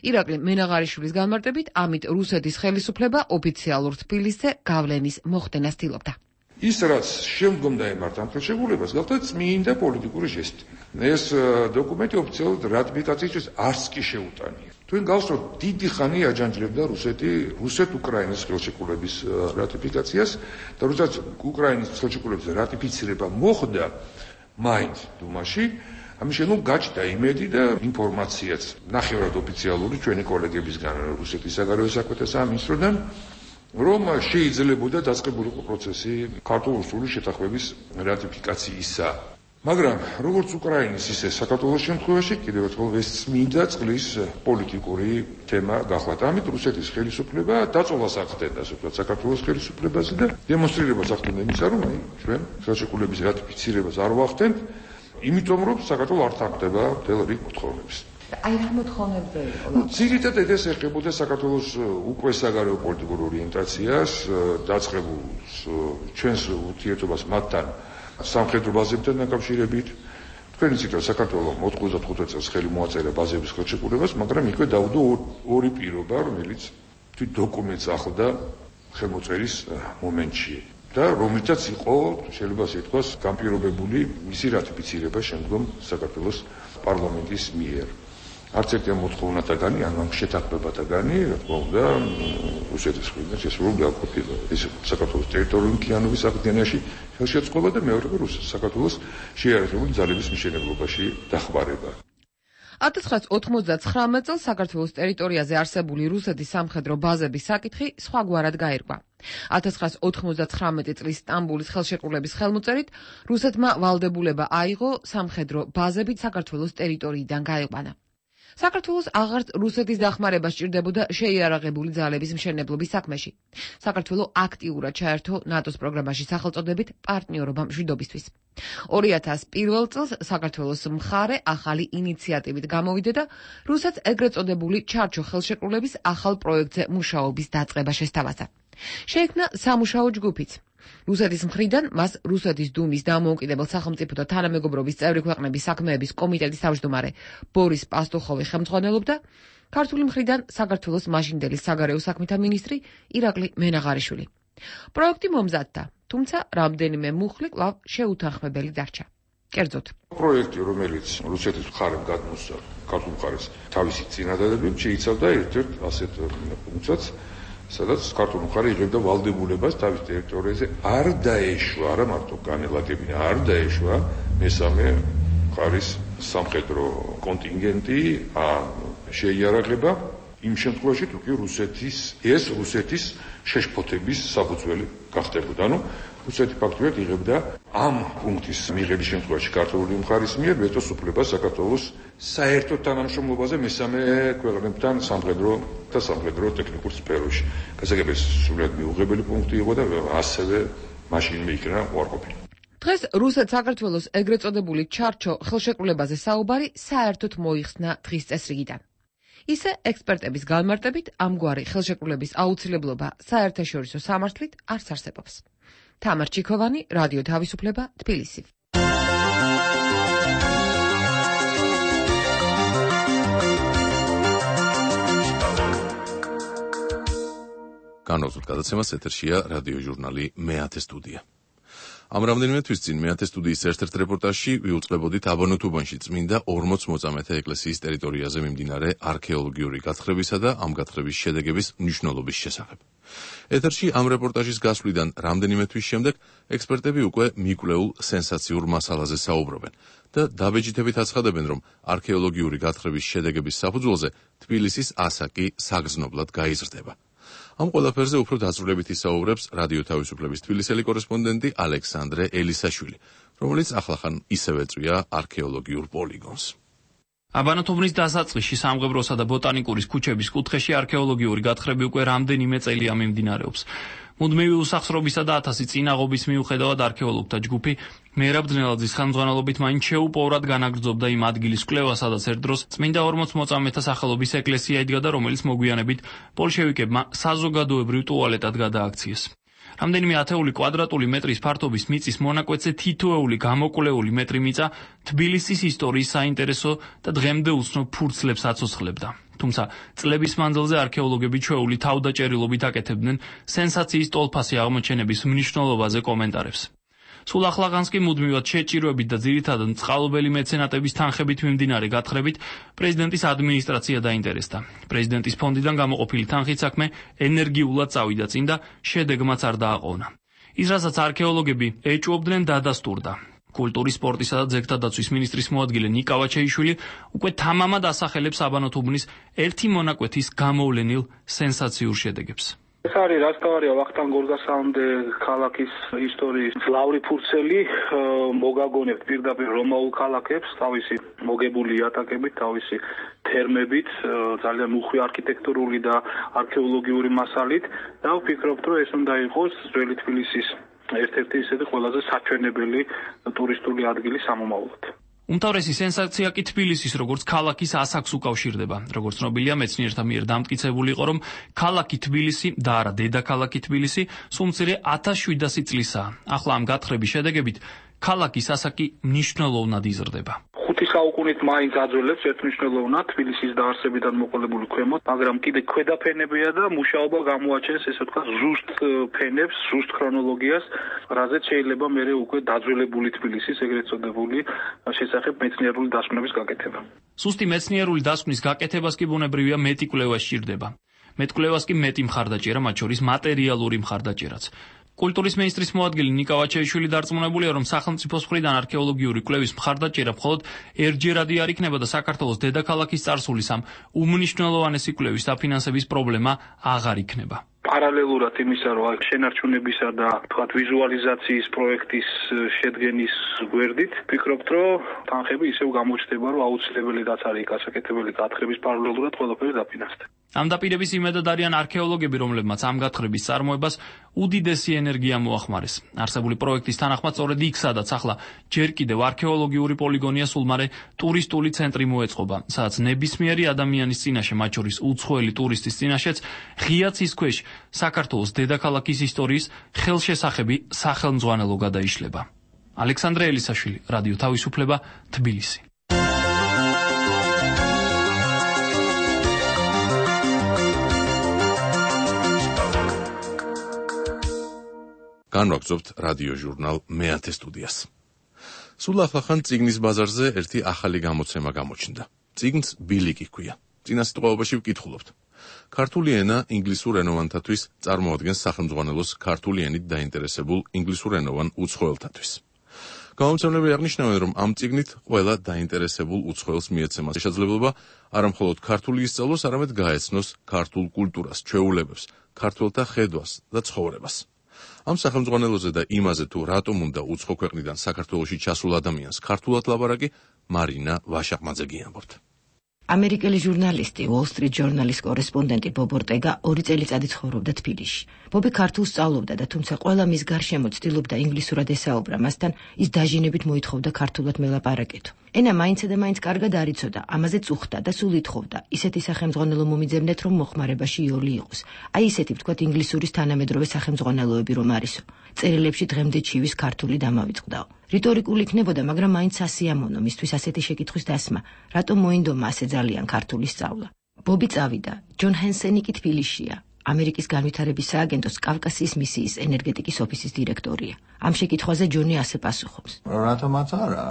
ირაკლი მენაღარიშვილის განმარტებით, ამით რუსეთის ხელისუფლება ოფიციალურ თბილისზე გავლენის მოხდენას ცდილობდა. ის რაც შემდგომ დაემართა ამ ხელშეკრულებას, გახდა წმინდა პოლიტიკური ჟესტი. ეს დოკუმენტი ოფიციალურად რატიფიკაციის არც კი შეუტანია. თქვენ გახსოვთ, დიდი ხანი აჯანჯლებდა რუსეთ-უკრაინის ხელშეკრულების რატიფიკაციას და როდესაც უკრაინის ხელშეკრულების რატიფიცირება მოხდა მაინც დუმაში, ამის შემდგომ გაჩნდა იმედი და ინფორმაციაც ნახევრად ოფიციალური ჩვენი კოლეგებისგან რუსეთის საგარეო საქმეთა სამინისტროდან, რომ შეიძლებოდა დაწყებულიყო პროცესი ქართულ-რუსული შეთანხმების რატიფიკაციისა. მაგრამ როგორც უკრაინის, ისე საქართველოს შემთხვევაში კიდევ ერთხელ ეს წმინდა წყლის პოლიტიკური თემა გახლავთ. ამით რუსეთის ხელისუფლება დაწოლას ახდენდა, ასე ვთქვათ, საქართველოს ხელისუფლებაზე და დემონსტრირებას ახდენდა იმისა, რომ ჩვენ ხელშეკრულების რატიფიცირებას არ ვახდენთ, იმიტომ რომ საქართველო არ თანხმდება მთელ რიგ მოთხოვნებს. აი რა მოთხოვნებზე იყო? ძირითადად ეს ეხებოდა საქართველოს უკვე საგარეო პოლიტიკურ ორიენტაციას, დაწყებულს ჩვენს ურთიერთობას მათთან სამხედრო ბაზებთან დაკავშირებით. თქვენ იცით, რომ საქართველო 95 წელს ხელი მოაწერა ბაზების ხელშეკრულებას, მაგრამ იქვე დაუდო ორი პირობა, რომელიც თვით დოკუმენტს ახლდა ხელმოწერის მომენტში და რომელთაც იყო, შეიძლება ასე ითქვას, განპირობებული მისი რატიფიცირება შემდგომ საქართველოს პარლამენტის მიერ. არც ერთი მოთხოვნათაგანი, ან შეთანხმებათაგანი, რა თქმა უნდა, რუსეთის მხრიდან შესრულებული არ ყოფილა. ეს საქართველოს ტერიტორიული მთლიანობის აღდგენაში ხელშეწყობა და მეორე საქართველოს შეიარაღებული ძალების მშენებლობაში დახმარება. 1999 წელს საქართველოს ტერიტორიაზე არსებული რუსეთის სამხედრო ბაზების საკითხი სხვაგვარად გაირკვა. 1999 წლის სტამბულის ხელშეკრულების ხელმოწერით რუსეთმა ვალდებულება აიღო სამხედრო ბაზები საქართველოს ტერიტორიიდან გაეყვანა. საქართველოს აღარც რუსეთის დახმარება სჭირდებოდა შეიარაღებული ძალების მშენებლობის საქმეში. საქართველო აქტიურად ჩაერთო ნატოს პროგრამაში სახელწოდებით პარტნიორობა მშვიდობისთვის. 2001 წელს საქართველოს მხარე ახალი ინიციატივით გამოვიდა და რუსეთს ეგრეთ წოდებული ჩარჩო ხელშეკრულების ახალ პროექტზე მუშაობის დაწყება შესთავაზა. შეიქმნა სამუშაო ჯგუფიც. რუსეთის მხრიდან მას რუსეთის დუმის დამოუკიდებელ სახელმწიფოთა თანამეგობრობის წევრი ქვეყნების საქმეების კომიტეტის თავმჯდომარე ბორის პასტუხოვი ხელმძღვანელობდა, ქართული მხრიდან საქართველოს მაშინდელი საგარეო საქმეთა მინისტრი ირაკლი მენაღარიშვილი. პროექტი მომზადდა, თუმცა რამდენიმე მუხლი კვლავ შეუთანხმებელი დარჩა. კერძოდ. პროექტი, რომელიც რუსეთის მხარემ გადმოსცა ქართულ მხარეს თავისი წინადადებებით, შეიცავდა ერთ-ერთ ასეთ ფუნქციას, სადაც ქართული მხარე იღებდა ვალდებულებას თავის ტერიტორიაზე არ დაეშვა, არა მარტო განელაგებინა, არ დაეშვა მესამე მხარის სამხედრო კონტინგენტი, შეიარაღება იმ შემთხვევაში, თუ კი რუსეთის შეშფოთების საფუძველი გახდებოდა. რუსეთი ფაქტობრივად იღებდა ამ პუნქტის მიღების შემთხვევაში ქართული მხარის მიერ ვეტოს უფლებას საქართველოს საერთო თანამშრომლობაზე მესამე ქვეყნებთან სამხედრო ტექნიკურ სფეროში. გასაგებია სრულად მიუღებელი პუნქტი იყო და ასევე მაშინვე იქნა უარყოფილი. დღეს რუსეთ-საქართველოს ეგრეთ წოდებული ჩარჩო ხელშეკრულებაზე საუბარი საერთოდ მოიხსნა დღის წესრიგიდან. ისე ექსპერტების განმარტებით ამგვარი ხელშეკრულების აუცილებლობა საერთაშორისო სამართლით არც არსებობს. თამარ ჩიქოვანი, რადიო თავისუფლება, თბილისი. განვაგრძობთ გადაცემას, ეთერშია რადიო ჟურნალი მეათე სტუდია. ამ რამდენიმე თვის წინ მეათე სტუდიის ერთ-ერთ რეპორტაჟში ვიუწყებოდით აბანოთუბანში წმინდა 40 მოწამეთა ეკლესიის ტერიტორიაზე მიმდინარე არქეოლოგიური გათხრებისა და ამ გათხრების შედეგების მნიშვნელობის შესახებ. ეთერში ამ რეპორტაჟის გასვლიდან რამდენიმე თვის შემდეგ ექსპერტები უკვე მიკვლეულ სენსაციურ მასალაზე საუბრობენ და დაბეჭდებით აცხადებენ, რომ არქეოლოგიური გათხრების შედეგების საფუძველზე თბილისის ასაკი საგრძნობლად გაიზრდება. ამ ყველაფერზე უფრო დაწვრილებით ისაუბრებს რადიო თავისუფლების თბილისელი კორესპონდენტი ალექსანდრე ელისაშვილი, რომელიც ახლახან ისევ ეწვია არქეოლოგიურ პოლიგონს. აბანოთუბნის დასაწყისში სამღებროსა და ბოტანიკურის ქუჩების კუთხეში არქეოლოგიური გათხრები უკვე რამდენიმე წელია მიმდინარეობს. მუდმივი უსახსრობისა და 1000 წინაღობის მიუხედავად არქეოლოგთა ჯგუფი მერაბ ძნელაძის ხელმძღვანელობით მაინც შეუპოვრად განაგრძობდა იმ ადგილის კვლევას, სადაც ერთ დროს წმინდა 40 მოწამეთა სახელობის ეკლესია იდგა და რომელიც მოგვიანებით ბოლშევიკებმა საზოგადოებრივ ტუალეტად გადააქციეს. რამდენიმე ათეული კვადრატული მეტრის ფართობის მიწის მონაკვეთზე თითოეული გამოკვლეული მეტრი მიწა თბილისის ისტორიის საინტერესო და დღემდე უცნობ ფურცლებს აცოცხლებდა. თუმცა წლების მანძილზე არქეოლოგები ჩვეული თავდაჭერილობით აკეთებდნენ სენსაციის ტოლფასი აღმოჩენების მნიშვნელობაზე კომენტარებს. სულ ახლახანს კი მუდმივად შეჭირვებით და ძირითადად წყალობელი მეცენატების თანხებით მიმდინარე გათხრებით პრეზიდენტის ადმინისტრაცია დაინტერესდა. პრეზიდენტის ფონდიდან გამოყოფილი თანხით საქმე ენერგიულად წავიდა წინ და შედეგმაც არ დააყოვნა. ის, რასაც არქეოლოგები ეჭვობდნენ, დადასტურდა. კულტურის, სპორტისა და ძეგლთა დაცვის მინისტრის მოადგილე ნიკა ვაჩეიშვილი უკვე თამამად ასახელებს აბანოთუბნის ერთი მონაკვეთის გამოვლენილ სენსაციურ შედეგებს. ეს არის რასტავარია ვახტანგ გორგასალამდე ქალაქის ისტორიის ძლავრი ფურცელი, მოგაგონებთ პირდაპირ რომაულ ქალაქებს თავისი მოგებული იატაკებით, თავისი თერმებით, ძალიან უხვი არქიტექტურული და არქეოლოგიური მასალით და ვფიქრობ, რომ ეს უნდა იყოს ძველი თბილისის ერთ-ერთი ისეთი ყველაზე საჩვენებელი ტურისტული ადგილი სამომავლოდ. უმთავრესი სენსაცია კი თბილისის როგორც ქალაქის ასაკს უკავშირდება. როგორც ცნობილია, მეცნიერთა მიერ დამტკიცებული იყო, რომ ქალაქი თბილისი და არა დედაქალაქი თბილისი სულ მცირე 1700 წლისაა. ახლა ამ გათხრების შედეგებით ქალაქის ასაკი მნიშვნელოვნად იზრდება. 5 საუკუნით მაინც აძველებს ერთმნიშვნელოვნად თბილისის დაარსებიდან მოყოლებული ქვემოთ, მაგრამ კიდე ქვედა ფენებია და მუშაობა გამოაჩენს ესე ვთქვათ ზუსტ ფენებს, ზუსტ ქრონოლოგიას, რაზეც შეიძლება მერე უკვე დაძველებული თბილისის ეგრეთ წოდებული შესახებ მეცნიერული დასკვნების გაკეთება. სუსტი მეცნიერული დასკვნის გაკეთებას კი ბუნებრივია მეტი კვლევა სჭირდება. მეტ კვლევას კი მეტი მხარდაჭერა, მათ შორის მატერიალური მხარდაჭერაც. კულტურის მინისტრის მოადგილე ნიკა ვაჩეიშვილი დარწმუნებულია, რომ სახელმწიფოს მხრიდან არქეოლოგიური კვლევის მხარდაჭერა მხოლოდ ერთჯერადი არ იქნება და საქართველოს დედაქალაქის წარსულის ამ უმნიშვნელოვანესი კვლევის დაფინანსების პრობლემა აღარ იქნება. პარალელურად იმისა, რომ შენარჩუნებისა და თქვათ ვიზუალიზაციის პროექტის შედგენის გვერდით, ვფიქრობთ, რომ თანხები ისევ გამოჩნდება, რომ აუცილებელიც არის გასაკეთებელი გათხრების პარალელურად ყველაფერი დაფინანსდა. ამ დაპირების იმედად არიან არქეოლოგები, რომლებმაც ამ გათხრების წარმოებას უდიდესი ენერგია მოახმარეს. არსებული პროექტის თანახმად სწორედ იქ, სადაც ახლა ჯერ კიდევ არქეოლოგიური პოლიგონია, სულ მარე ტურისტული ცენტრი მოეწყობა, სადაც ნებისმიერი ადამიანის წინაშე, მათ შორის უცხოელი ტურისტის წინაშეც ღია ცის ქვეშ საქართველოს დედაქალაქის ისტორიის ხელშესახები სახელმძღვანელო გადაიშლება. ალექსანდრე ელისაშვილი, რადიო თავისუფლება, თბილისი. განვაგრძობთ რადიო ჟურნალ მეათე სტუდიას. სულ ახლახან წიგნის ბაზარზე ერთი ახალი გამოცემა გამოჩნდა. წიგნს ბილიკი ჰქვია. წინა სიტყვაობაში ვკითხულობთ. ქართული ენა ინგლისურ ენოვანთათვის წარმოადგენს სახელმძღვანელოს ქართული ენით დაინტერესებულ ინგლისურ ენოვან უცხოელთათვის. გამომცემლები აღნიშნავენ, რომ ამ წიგნით ყველა დაინტერესებულ უცხოელს მიეცემა შესაძლებლობა არამხოლოდ ქართული ისწავლოს, არამედ გაეცნოს ქართულ კულტურას, ჩვეულებებს, ქართველთა ხედვას და ცხოვრებას. ამ სახელმძღვანელოზე და იმაზე, თუ რატომ უნდა უცხო ქვეყნიდან საქართველოში ჩასულ ადამიანს ქართულად ლაპარაკი, მარინა ვაშაყმაძე გიამბობთ. ამერიკელი ჟურნალისტი, Wall Street Journal-ის კორესპონდენტი ბობ ორტეგა 2 წელიწადი ცხოვრობდა თბილისში. ბობი ქართულს სწავლობდა და თუმცა ყველა მის გარშემო ცდილობდა ინგლისურად ესაუბრა, მასთან ის დაჟინებით მოითხოვდა ქართულად მელაპარაკეთო. ენა მაინც და მაინც კარგად არ იცოდა, ამაზე წუხდა და სულ ითხოვდა. ისეთი სახელმძღვანელო მომიძებნეთ, რომ მოხმარებაში იოლი იყოს. აი ისეთი ვთქვათ ინგლისურის თანამედროვე სახელმძღვანელოები რომ არისო. წერილებში დღემდე ჩივის ქართული დამავიწყდაო. რიტორიკული იქნებოდა, მაგრამ მაინც ასიამოვნო მისთვის ასეთი შეკითხვის დასმა, რატომ მოინდომა ასე ძალიან ქართული სწავლა. ბობი წავიდა, ჯონ ჰენსენი კი თბილისშია. ამერიკის განვითარების სააგენტოს კავკასიის მისიის ენერგეტიკის ოფისის დირექტორია. ამ შეკითხვაზე ჯონი ასე პასუხობს. რატომაც არა?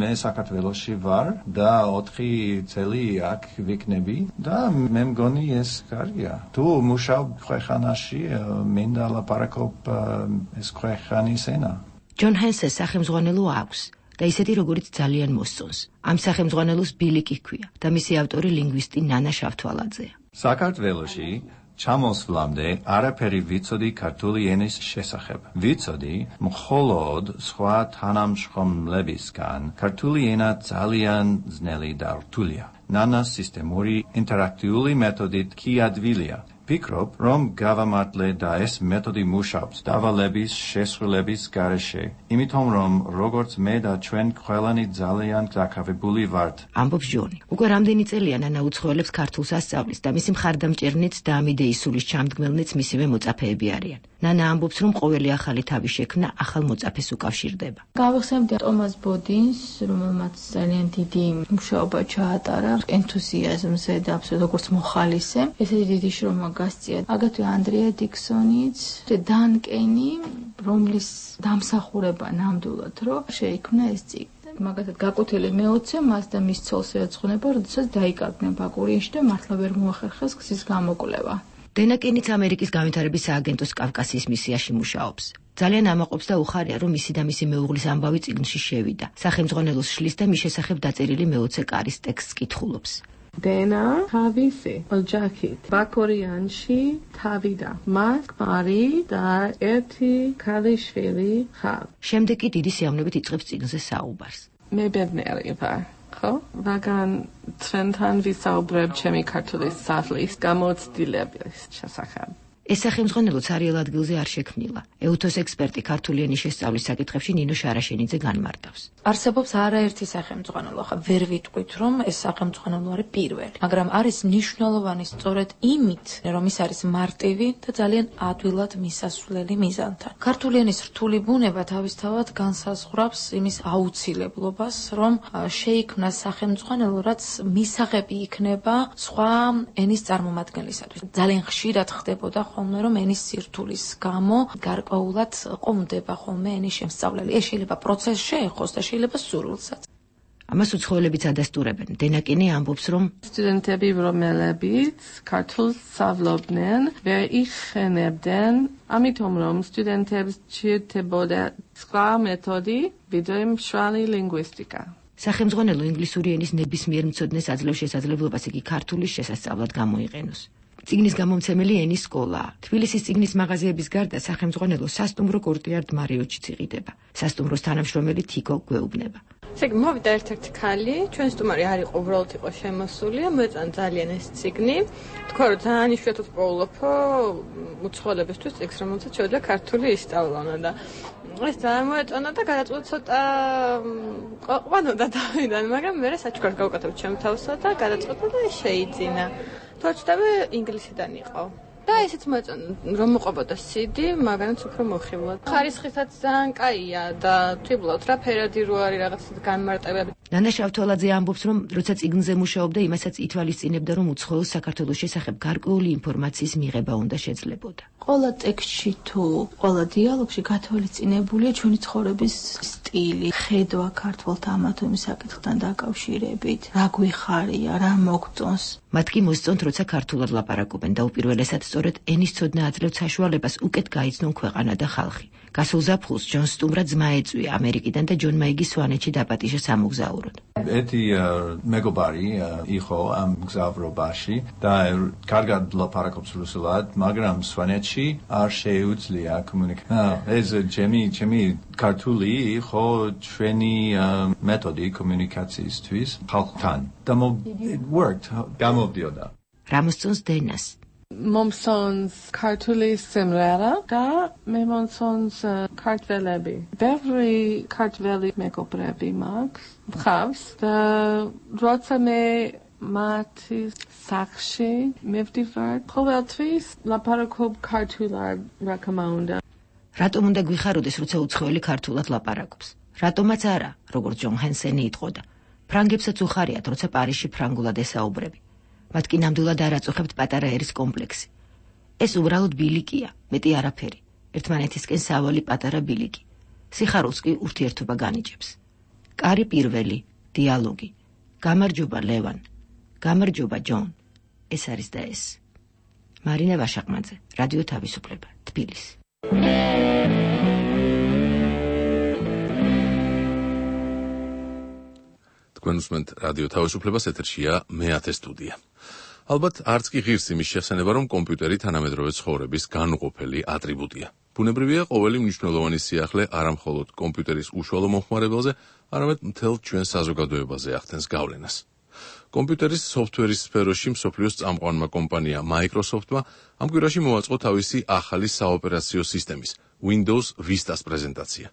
მე საქართველოში ვარ და 4 წელი აქ ვიქნები და მე მგონი ეს კარგია. თუ მუშაობ ქვეყანაში, მინდა ლაპარაკობ ეს ქვეყანის ენა. ჯონ ჰენსეს სახელმძღვანელო აქვს და ისეთი როგორც ძალიან მოსწონს. ამ სახელმძღვანელოს ბილიკი ჰქვია და მისი ავტორი ლინგვისტი ნანა შავთვალაძეა. საქართველოში ჩამოსვლამდე არაფერი ვიცოდი ქართული ენის შესახებ. ვიცოდი მხოლოდ სხვა თანამშრომლებისგან ქართული ენა ძალიან ძნელი და რთულია. ნანას სისტემური ინტერაქტიული მეთოდით კი ადვილია. ფიქრობ, რომ გავამართლე და ეს მეთოდი მუშაობს დავალების შესრულების გარეშე, იმიტომ რომ როგორც მე და ჩვენ ყველანი ძალიან დაკავებული ვართ. ამბობს ჯონი. უკვე რამდენი წელია ნანა უცხოელებს ქართულს ასწავლის და მისი მხარდამჭერნიც და ამ იდეის სულის ჩამდგმელნიც მისივე მოწაფეები არიან. ნანა ამბობს, რომ ყოველი ახალი თავის შექმნა ახალ მოწაფეს უკავშირდება. გავიხსენებდი ტომას ბოდინს, რომელმაც ძალიან დიდი მუშაობა ჩაატარა ენთუზიაზმზე და როგორც მოხალისე. ესეთი დიდი შრომა გასწია. აგრეთვე ანდრია დიქსონიც, დან კენი, რომლის დამსახურება ნამდვილად რომ შეიქმნა ეს წიგნი. მაგათად გაკუთილი მეოცე მას და მის ცოლს ეძღვნება, როდესაც დაიკარგნენ ბაკურიაში და მართლა ვერ მოახერხეს გზის გამოკვლევა. დენა კენიც ამერიკის განვითარების სააგენტოს კავკასიის მისიაში მუშაობს. ძალიან ამაყობს და უხარია, რომ მისი და მისი მეუღლის ამბავი წიგნში შევიდა. სახელმძღვანელოს შლის და მის შესახებ დაწერილი მეოცე კარის ტექსტს კითხულობს. დენა თავისი ოჯახით ბაკურიანში თავიდა. მას ქმარი და ერთი ქალიშვილი ჰყავს. შემდეგ კი დიდი სიამოვნებით იწყებს წიგნზე საუბარს. მე ბედნიერი ვარ. ხო? მაგრამ ჩვენთან ვისაუბრებ ჩემი ქართული სახლის გამოცდილების შესახებ. ეს სახელმძღვანელო ცარიელ ადგილზე არ შექმნილა. ეუთოს ექსპერტი ქართული ენის შესწავლის საკითხებში ნინო შარაშენიძე განმარტავს. არსებობს არაერთი სახელმძღვანელო, ხა ვერ ვიტყვით, რომ ეს სახელმძღვანელო არის პირველი, მაგრამ არის მნიშვნელოვანი სწორედ იმით, რომ ის არის მარტივი და ძალიან ადვილად მისასვლელი მიზანთან. ქართული ენის რთული ბუნება თავისთავად განსაზღვრავს იმის აუცილებლობას, რომ შეიქმნას სახელმძღვანელო, რაც მისაღები იქნება სხვა ენის წარმომადგენლისათვის. ძალიან ხშირად ხდებოდა ხოლმე, რომ ენის სირთულის გამო გარკვეულად ყომდება ხოლმე ენის შემსწავლელი. ეს შეიძლება პროცესს შეეხოს და შეიძლება სურვილსაც. ამას უცხოელებიც ადასტურებენ. დენა კენი ამბობს, რომ სტუდენტები, რომლებიც ქართულს სწავლობდნენ, ვერ იხენებდნენ, ამიტომ რომ სტუდენტებს სჭირდებოდა სხვა მეთოდი, ვიდრე მშრალი ლინგვისტიკა. სახელმძღვანელო ინგლისური ენის ნებისმიერ მცოდნეს აძლევს შესაძლებლობას იგი ქართულის შესასწავლად გამოიყენოს. წიგნის გამომცემელი ენის სკოლაა. თბილისის წიგნის მაღაზიების გარდა სახელმძღვანელო სასტუმრო კორტიარდ მარიოტშიც იყიდება. სასტუმროს თანამშრომელი თიკო გვეუბნება. მოვიდა ერთ-ერთი ქალი, ჩვენ სტუმარი არ იყო, უბრალოდ იყო შემოსული, მოეწონა ძალიან ეს წიგნი. თქვა რომ ძალიან იშვიათად პოულობო უცხოელებისთვის წიგნს, რომელსაც შეუძლია ქართული ისწავლონ და ეს ძალიან მოეწონა და გადაწყვეტა ცოტა ყვანოდა თავიდან, მაგრამ მე საჩუქარს გავუკეთებ ჩემ თავსა და გადაწყვეტა და შეიძინა. თორჩდები ინგლისიდან იყო. და ესეც მოეწონა რომ მოყვებოდა CD, მაგანაც უფრო მოხიბლა. ხარისხისაც ძალიან კაია და თვითონ რა ფერადი რო არის რაღაც განმარტებები. ნანა შავთვალაძე ამბობს, რომ როცა წიგნზე მუშაობდა, იმასაც ითვალისწინებდა, რომ უცხოელ საქართველოს შესახებ გარკვეული ინფორმაციის მიღება უნდა შეძლებოდა. ყველა ტექსტში თუ ყველა დიალოგში გათვალისწინებულია ჩვენი ცხოვრების სტილი. სიკვდილი, ხედვა ქართველთა ამა თუ იმ საკითხთან დაკავშირებით, რა გვიხარია, რა მოგწონს. მათ კი მოსწონთ, როცა ქართულად ლაპარაკობენ და უპირველესად სწორედ ენის ცოდნა აძლევთ საშუალებას უკეთ გაიცნონ ქვეყანა და ხალხი. გასულ ზაფხულს ჯონ სტუმრა ძმა ეწვია ამერიკიდან და ჯონ მაიგი სვანეთში დაპატიჟა სამოგზაუროდ. ეთი მეგობარი იყო ამ მგზავრობაში და კარგად ლაპარაკობს რუსულად, მაგრამ სვანეთში არ შეუძლია კომუნიკაცია. ეს ჩემი ქართული იყო ჩვენი მეთოდი კომუნიკაციისთვის ხალხთან. და it worked. გამოვდიოდა. რა მოსწონს დენას? მომსონს ქართული სიმღერა და მე მომსონს ქართველები. ბევრი ქართველი მეგობრები მაქვს და როცა მე მათი სახლში მივდივარ, ყოველთვის ლაპარაკობ ქართულად რა თქმა უნდა. რატომ უნდა გვიხაროდეს, როცა უცხოელი ქართულად ლაპარაკობს? რატომაც არა, როგორც ჯონ ჰენსენი იტყოდა. ფრანგებსაც უხარიათ, როცა პარიზში ფრანგულად ესაუბრები. მათ კი ნამდვილად არ აწუხებთ პატარა ერის კომპლექსი. ეს უბრალოდ ბილიკია, მეტი არაფერი. ერთმანეთისკენ სავალი პატარა ბილიკი. სიხარულს კი ურთიერთობა განიჭებს. კარი პირველი, დიალოგი. გამარჯობა ლევან. გამარჯობა ჯონ. ეს არის და ეს. მარინა ვაშაყმაძე, რადიო თავისუფლება, თბილისი. თქვენ უსმენთ რადიო თავისუფლებას, ეთერშია მე-10 სტუდია. ალბათ არც კი ღირს იმის შესანება, რომ კომპიუტერი თანამედროვე ცხოვრების განუყოფელი ატრიბუტია. ბუნებრივია, ყოველი მნიშვნელოვანი სიახლე არა მხოლოდ კომპიუტერის უშუალო მომხმარებელზე, არამედ მთელ ჩვენ საზოგადოებაზე ახდენს გავლენას. კომპიუტერის სოფტვერის სფეროში მსოფლიოს წამყვანმა კომპანია Microsoft-მა ამ კვირაში მოაწყო თავისი ახალი საოპერაციო სისტემის Windows Vista-ს პრეზენტაცია.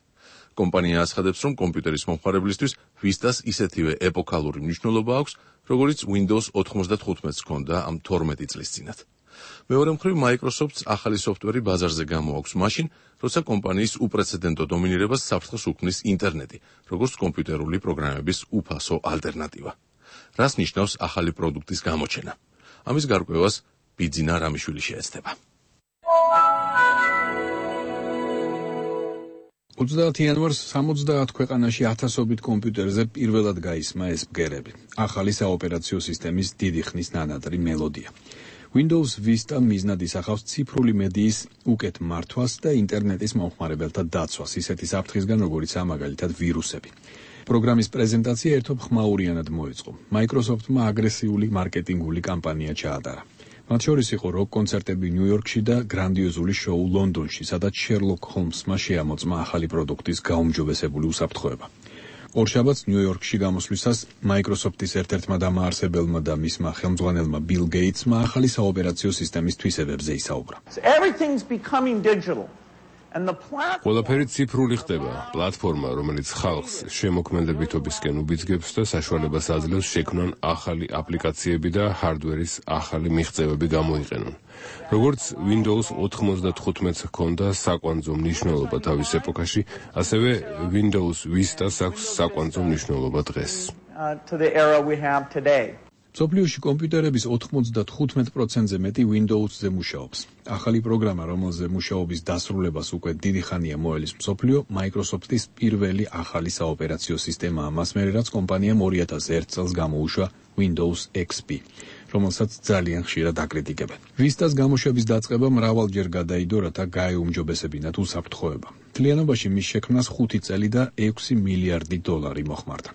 კომპანია აცხადებს, რომ კომპიუტერის მომხმარებლისთვის Vista-ს ისეთივე ეპოქალური მნიშვნელობა აქვს, როგორც Windows 95-ს ჰქონდა ამ 12 წლის წინათ. მეორე მხრივ, Microsoft-ს ახალი სოფტვერი ბაზარზე გამოაქვს მაშინ, როცა კომპანიის უპრეცედენტო დომინირებას საფრთხეს უქმნის ინტერნეტი, როგორც კომპიუტერული პროგრამების უფასო ალტერნატივა. რას ნიშნავს ახალი პროდუქტის გამოჩენა? ამის გარკვევას ბიძინა რამიშვილი შეეცდება. 30 იანვარს 70 ქვეყანაში ათასობით კომპიუტერზე პირველად გაისმა ეს ბგერები. ახალი საოპერაციო სისტემის დიდი ხნის ნანადრი მელოდია. Windows Vista მიზნად ისახავს ციფრული მედიის უკეთ მართვას და ინტერნეტის მომხმარებელთა დაცვას, ისეთი საფრთხისგან, როგორიცაა მაგალითად ვირუსები. პროგრამის პრეზენტაცია ერთობ ხმაურიანად მოეწყო. Microsoft-მა აგრესიული მარკეტინგული კამპანია ჩაატარა. მათ შორის იყო როკ-კონცერტები ნიუ-იორკში და გრანდიოზული შოუ ლონდონში, სადაც შერლოკ ჰოლმსმა შეამოწმა ახალი პროდუქტის გაუმჯობესებული უსაფრთხოება. ორშაბათს ნიუ-იორკში გამოსვლისას Microsoft-ის ერთ-ერთმა დამაარსებელმა და მისმა ხელმძღვანელმა Bill Gates-მა ახალი საოპერაციო სისტემის თვისებებზე ისაუბრა. ყველაფერი ციფრული ხდება. პლატფორმა, რომელიც ხალხს შემოქმედებითობისკენ უბიძგებს და საშუალებას აძლევს შექმნან ახალი აპლიკაციები და ჰარდვერის ახალი მიღწევები გამოიყენონ. როგორც Windows 95-ს ჰქონდა საკვანძო მნიშვნელობა თავის ეპოქაში, ასევე Windows Vista-ს აქვს საკვანძო მნიშვნელობა დღეს. მსოფლიოში კომპიუტერების 95%-ზე მეტი Windows-ზე მუშაობს. ახალი პროგრამა, რომელზე მუშაობის დასრულებას უკვე დიდი ხანია მოელის მსოფლიო, Microsoft-ის პირველი ახალი საოპერაციო სისტემაა, მას მერე რაც კომპანიამ 2001 წელს გამოუშვა Windows XP, რომელსაც ძალიან ხშირად აკრიტიკებენ. Vista-ს გამოშვების დაწყება მრავალჯერ გადაიდო, რათა გაეუმჯობესებინათ უსაფრთხოება. მთლიანობაში მის შექმნას 5 წელი და 6 მილიარდი დოლარი მოხმარდა.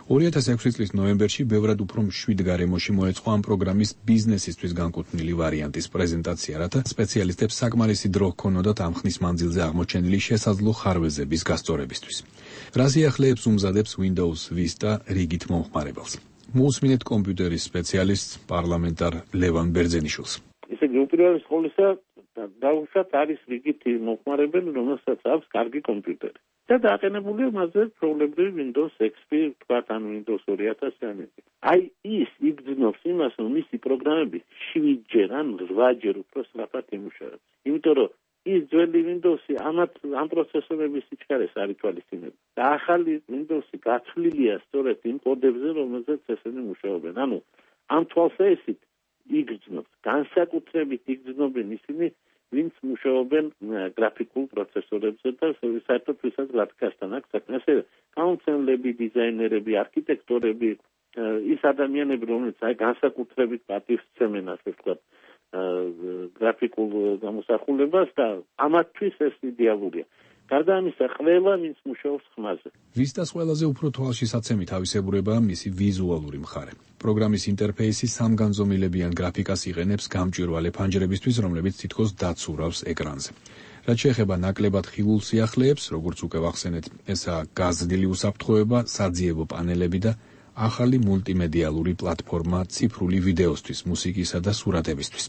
2006 წლის ნოემბერში ბევრად უფრო მშვიდ გარემოში მოეწყო ამ პროგრამის ბიზნესისთვის განკუთვნილი ვარიანტის პრეზენტაცია, რათა სპეციალისტებს საკმარისი დრო ჰქონოდათ ამ ხნის მანძილზე აღმოჩენილი შესაძლო ხარვეზების გასწორებისთვის. რა სიახლეებს უმზადებს Windows Vista რიგით მომხმარებელს? მოусმინეთ კომპიუტერის სპეციალისტს პარლამენტარ ლევან ბერძენიშვილს. ისე უპირველეს ყოვლისა დაუშვათ არის რიგითი მომხმარებელი, რომელსაც აქვს კარგი კომპიუტერი. და დააყენებულია მასზე პრობლემები Windows XP, თქვათ ან Windows 2000-იანი. აი ის იგრძნობს იმას, რომ მისი პროგრამები 7-ჯერ ან 8-ჯერ უფრო სწრაფად იმუშავებს. იმიტომ რომ ის ძველი Windows-ი ამ პროცესორების სიჩქარეს არ ითვალისწინებს. და ახალი Windows-ი გაცვლილია სწორედ იმ კოდებზე, რომელზეც ესენი მუშაობენ. ანუ ამ თვალსაჩინოდ იგრძნობს, განსაკუთრებით იგრძნობენ ისინი ვინც მუშაობენ გრაფიკულ პროცესორებზე და საერთოდ ვისაც გრაფიკასთან აქვს საქმე. ასე გამომცემლები, დიზაინერები, არქიტექტორები, ის ადამიანები, რომლებიც განსაკუთრებით პატივს სცემენ, ასე ვთქვათ, გრაფიკულ გამოსახულებას და ამათთვის ეს იდეალურია. გარდა ამისა, ყველა ვინც მუშაობს ხმაზე. ვისტას ყველაზე უფრო თვალშისაცემი თავისებურებაა მისი ვიზუალური მხარე. პროგრამის ინტერფეისი სამგანზომილებიან გრაფიკას იყენებს გამჭვირვალე ფანჯრებისთვის, რომლებიც თითქოს დაცურავს ეკრანზე. რაც შეეხება ნაკლებად ხილულ სიახლეებს, როგორც უკვე ვახსენეთ, ესაა გაზრდილი უსაფრთხოება, საძიებო პანელები და ახალი მულტიმედიალური პლატფორმა ციფრული ვიდეოსთვის, მუსიკისა და სურათებისთვის.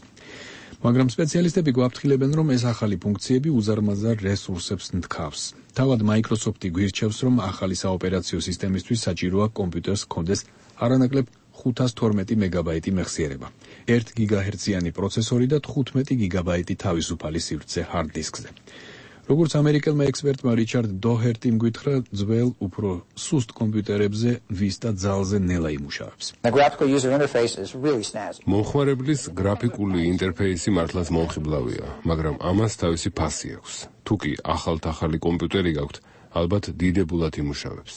მაგრამ სპეციალისტები გვაფრთხილებენ, რომ ეს ახალი ფუნქციები უზარმაზარ რესურსებს ნთქავს. თავად Microsoft-ი გვირჩევს, რომ ახალი საოპერაციო სისტემისთვის საჭიროა კომპიუტერს ჰქონდეს არანაკლებ 512 მეგაბაიტი მეხსიერება, 1 გიგაჰერციანი პროცესორი და 15 გიგაბაიტი თავისუფალი სივრცე hard disk-ზე. როგორც ამერიკელმა ექსპერტმა რიჩარდ დოჰერტიმ გითხრა, ძველ უფრო სუსტ კომპიუტერებზე ვისტა ძალზე ნელა იმუშავებს. მომხმარებლის გრაფიკული ინტერფეისი მართლაც მომხიბლავია, მაგრამ ამას თავისი ფასი აქვს. თუკი ახალი კომპიუტერი გაქვთ, ალბათ დიდებულად იმუშავებს.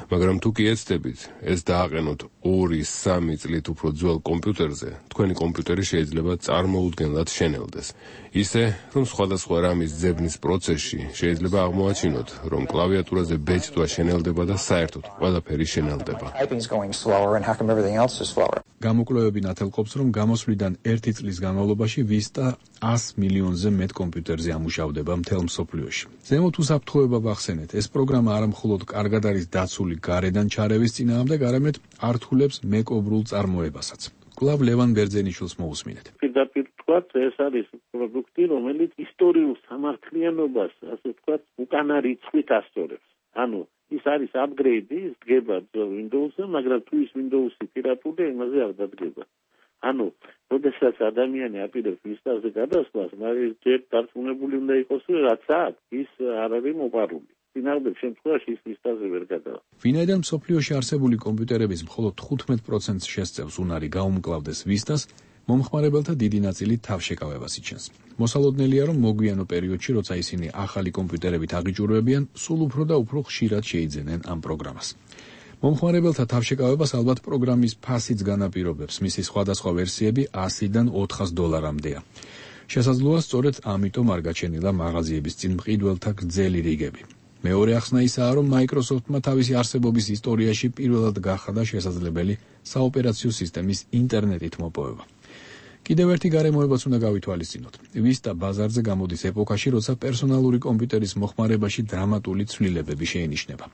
მაგრამ თუ კი ეცდებით, ეს დააყენოთ 2-3 წლით უფრო ძველ კომპიუტერზე, თქვენი კომპიუტერი შეიძლება წარმოუდგენლად შენელდეს. ისე, რომ სხვადასხვა რამის ძებნის პროცესში შეიძლება აღმოაჩინოთ, რომ კლავიატურაზე ბეჭდვა შენელდება და საერთოდ ყველაფერი შენელდება. გამოკვლევები ნათელყოფს, რომ გამოსვლიდან 1 წლის განმავლობაში ვისტა 100 მილიონზე მეტ კომპიუტერზე ამუშავდება მთელ მსოფლიოში. ზემოთ უსაფრთხოება ვახსენეთ, ეს პროგრამა არა მხოლოდ კარგად არის დაცული გარედან ჩარევის წინააღმდეგ, არამედ ართულებს მეკობრულ წარმოებასაც. კვლავ ლევან ბერძენიშვილს მოусმინეთ. პირდაპირ ვთქვათ, ეს არის პროდუქტი, რომელიც ისტორიულ სამართლიანობას, ასე ვთქვათ, უკანა რიცხვით ასწორებს. ანუ ის არის upgrade-ი, ის დგება Windows-ზე, მაგრამ თუ ის Windows-ი პირატულია, იმაზე არ დადგება. ანუ, როდესაც ადამიანი აპირებს ვისტაზე გადასვლას, მაგრამ ჯერ დარწმუნებული უნდა იყოს, რომ რაც აქვს, ის არ არის მოპარული. წინააღმდეგ შემთხვევაში ის ვისტაზე ვერ გადავა. ვინაიდან მსოფლიოში არსებული კომპიუტერების მხოლოდ 15%-ს შესწევს უნარი გაუმკლავდეს ვისტას, მომხმარებელთა დიდი ნაწილი თავშეკავებას იჩენს. მოსალოდნელია, რომ მოგვიანო პერიოდში, როცა ისინი ახალი კომპიუტერებით აღიჭურვებიან, სულ უფრო და უფრო ხშირად შეიძენენ ამ პროგრამას. მომხმარებელთა თავშეკავებას ალბათ პროგრამის ფასიც განაპირობებს, მისი სხვადასხვა ვერსიები $100-დან $400-მდეა. შესაძლოა სწორედ ამიტომ არ გაჩენილა მაღაზიების წინ მყიდველთა გრძელი რიგები. მეორე ახსნა ისაა, რომ Microsoft-მა თავისი არსებობის ისტორიაში პირველად გახადა შესაძლებელი საოპერაციო სისტემის ინტერნეტით მოპოვება. კიდევ ერთი გარემოებაც უნდა გავითვალისწინოთ. ვისტა ბაზარზე გამოდის ეპოქაში, როცა პერსონალური კომპიუტერის მოხმარებაში დრამატული ცვლილებები შეინიშნება.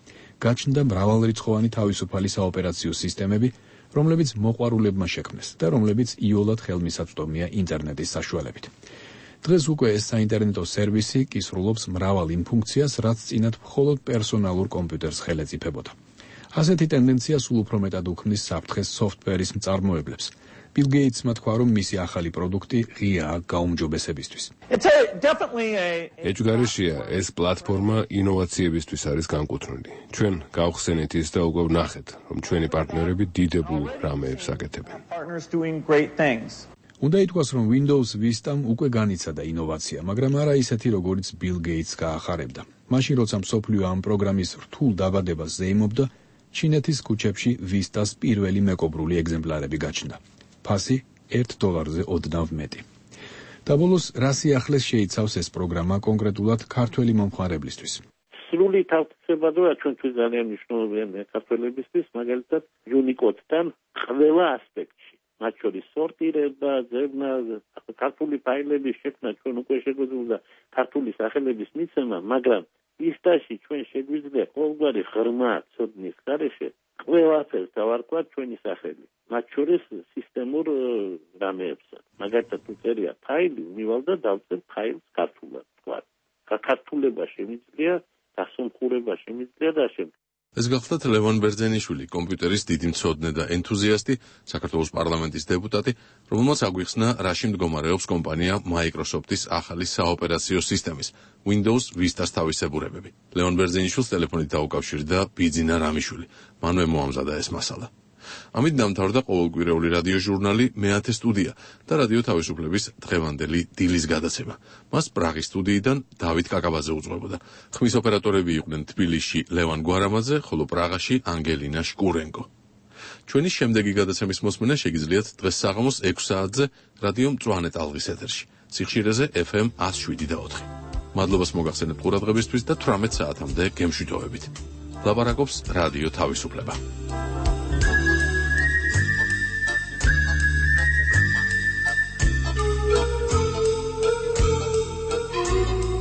გაჩნდა მრავალრიცხოვანი თავისუფალი საოპერაციო სისტემები, რომლებიც მოყვარულებმა შექმნეს და რომლებიც იოლად ხელმისაწვდომია ინტერნეტის საშუალებით. დღეს უკვე ეს საინტერნეტო სერვისი კისრულობს მრავალ იმ ფუნქციას, რაც წინათ მხოლოდ პერსონალურ კომპიუტერს ხელეწიფებოდა. ასეთი ტენდენცია სულ უფრო მეტად უქმნის საფრთხეს სოფტვერის მწარმოებლებს. ბილ გეიტსმა თქვა, რომ მისი ახალი პროდუქტი ღიაა გაუმჯობესებისთვის. ეჭვგარეშეა ეს პლატფორმა ინოვაციებისთვის არის განკუთვნილი. ჩვენ გავხსენეთ ის და უკვე ვნახეთ, რომ ჩვენი პარტნიორები დიდებულ რამეებს აკეთებენ. უნდა ითქვას, რომ Windows Vista-მ უკვე განიცადა ინოვაცია, მაგრამ არა ისეთი, როგორიც ბილ გეიტს გაახარებდა. მაშინ, როცა მსოფლიო ამ პროგრამის რთულ დაბადებას ზეიმობდა, ჩინეთის ქუჩებში Vista-ს პირველი მეკობრული ეგზემპლარები გაჩნდა. ფასი $1-ზე ოდნავ მეტი. დაბოლოს, რა სიახლეს შეიცავს ეს პროგრამა კონკრეტულად ქართველი მომხმარებლისთვის? სრული თავისებადობა ჩვენთვის ძალიან მნიშვნელოვანია ქართველებისთვის, მაგალითად Unicode-თან ყველა ასპექტში. მათ შორის სორტირება, ძებნა, ქართული ფაილების შექმნა ჩვენ უკვე შეგვიძლია ქართული სახელების მიცემა, მაგრამ Vista-ში ჩვენ შეგვიძლია ყოველგვარი ღრმა ცოდნის გარეშე ყველაფერს დავარქვათ ჩვენი სახელი. მათ შორის სისტემურ რამეებსაც. მაგალითად, თუ წერია ფაილი, მივალ და დავწერთ ფაილს ქართულად, თქვა. ქართულება შემიძლია, დასამხურება შემიძლია და შემდეგ. ეს გახლდათ ლევან ბერძენიშვილი, კომპიუტერის დიდი მცოდნე და ენთუზიასტი, საქართველოს პარლამენტის დეპუტატი, რომელმაც აგვიხსნა, რაში მდგომარეობს კომპანია Microsoft-ის ახალი საოპერაციო სისტემის Windows Vista-ს თავისებურებები. ლევან ბერძენიშვილს ტელეფონით დაუკავშირდა ბიძინა რამიშვილი. მანვე მოამზადა ეს მასალა. ამით დამთავრდა ყოველკვირეული რადიო ჟურნალი მეათე სტუდია და რადიო თავისუფლების დღევანდელი დილის გადაცემა. მას პრაღის სტუდიიდან დავით კაკაბაძე უძღვებოდა. ხმის ოპერატორები იყვნენ თბილისში ლევან გვარამაძე, ხოლო პრაღაში ანგელინა შკურენკო. ჩვენი შემდეგი გადაცემის მოსმენა შეგიძლიათ დღეს საღამოს 6 საათზე რადიო მწვანე ტალღის ეთერში, სიხშირეზე FM 107.4. მადლობას მოგახსენებთ ყურადღებისთვის და 18 საათამდე გემშვიდობებით. ლაპარაკობს რადიო თავისუფლება.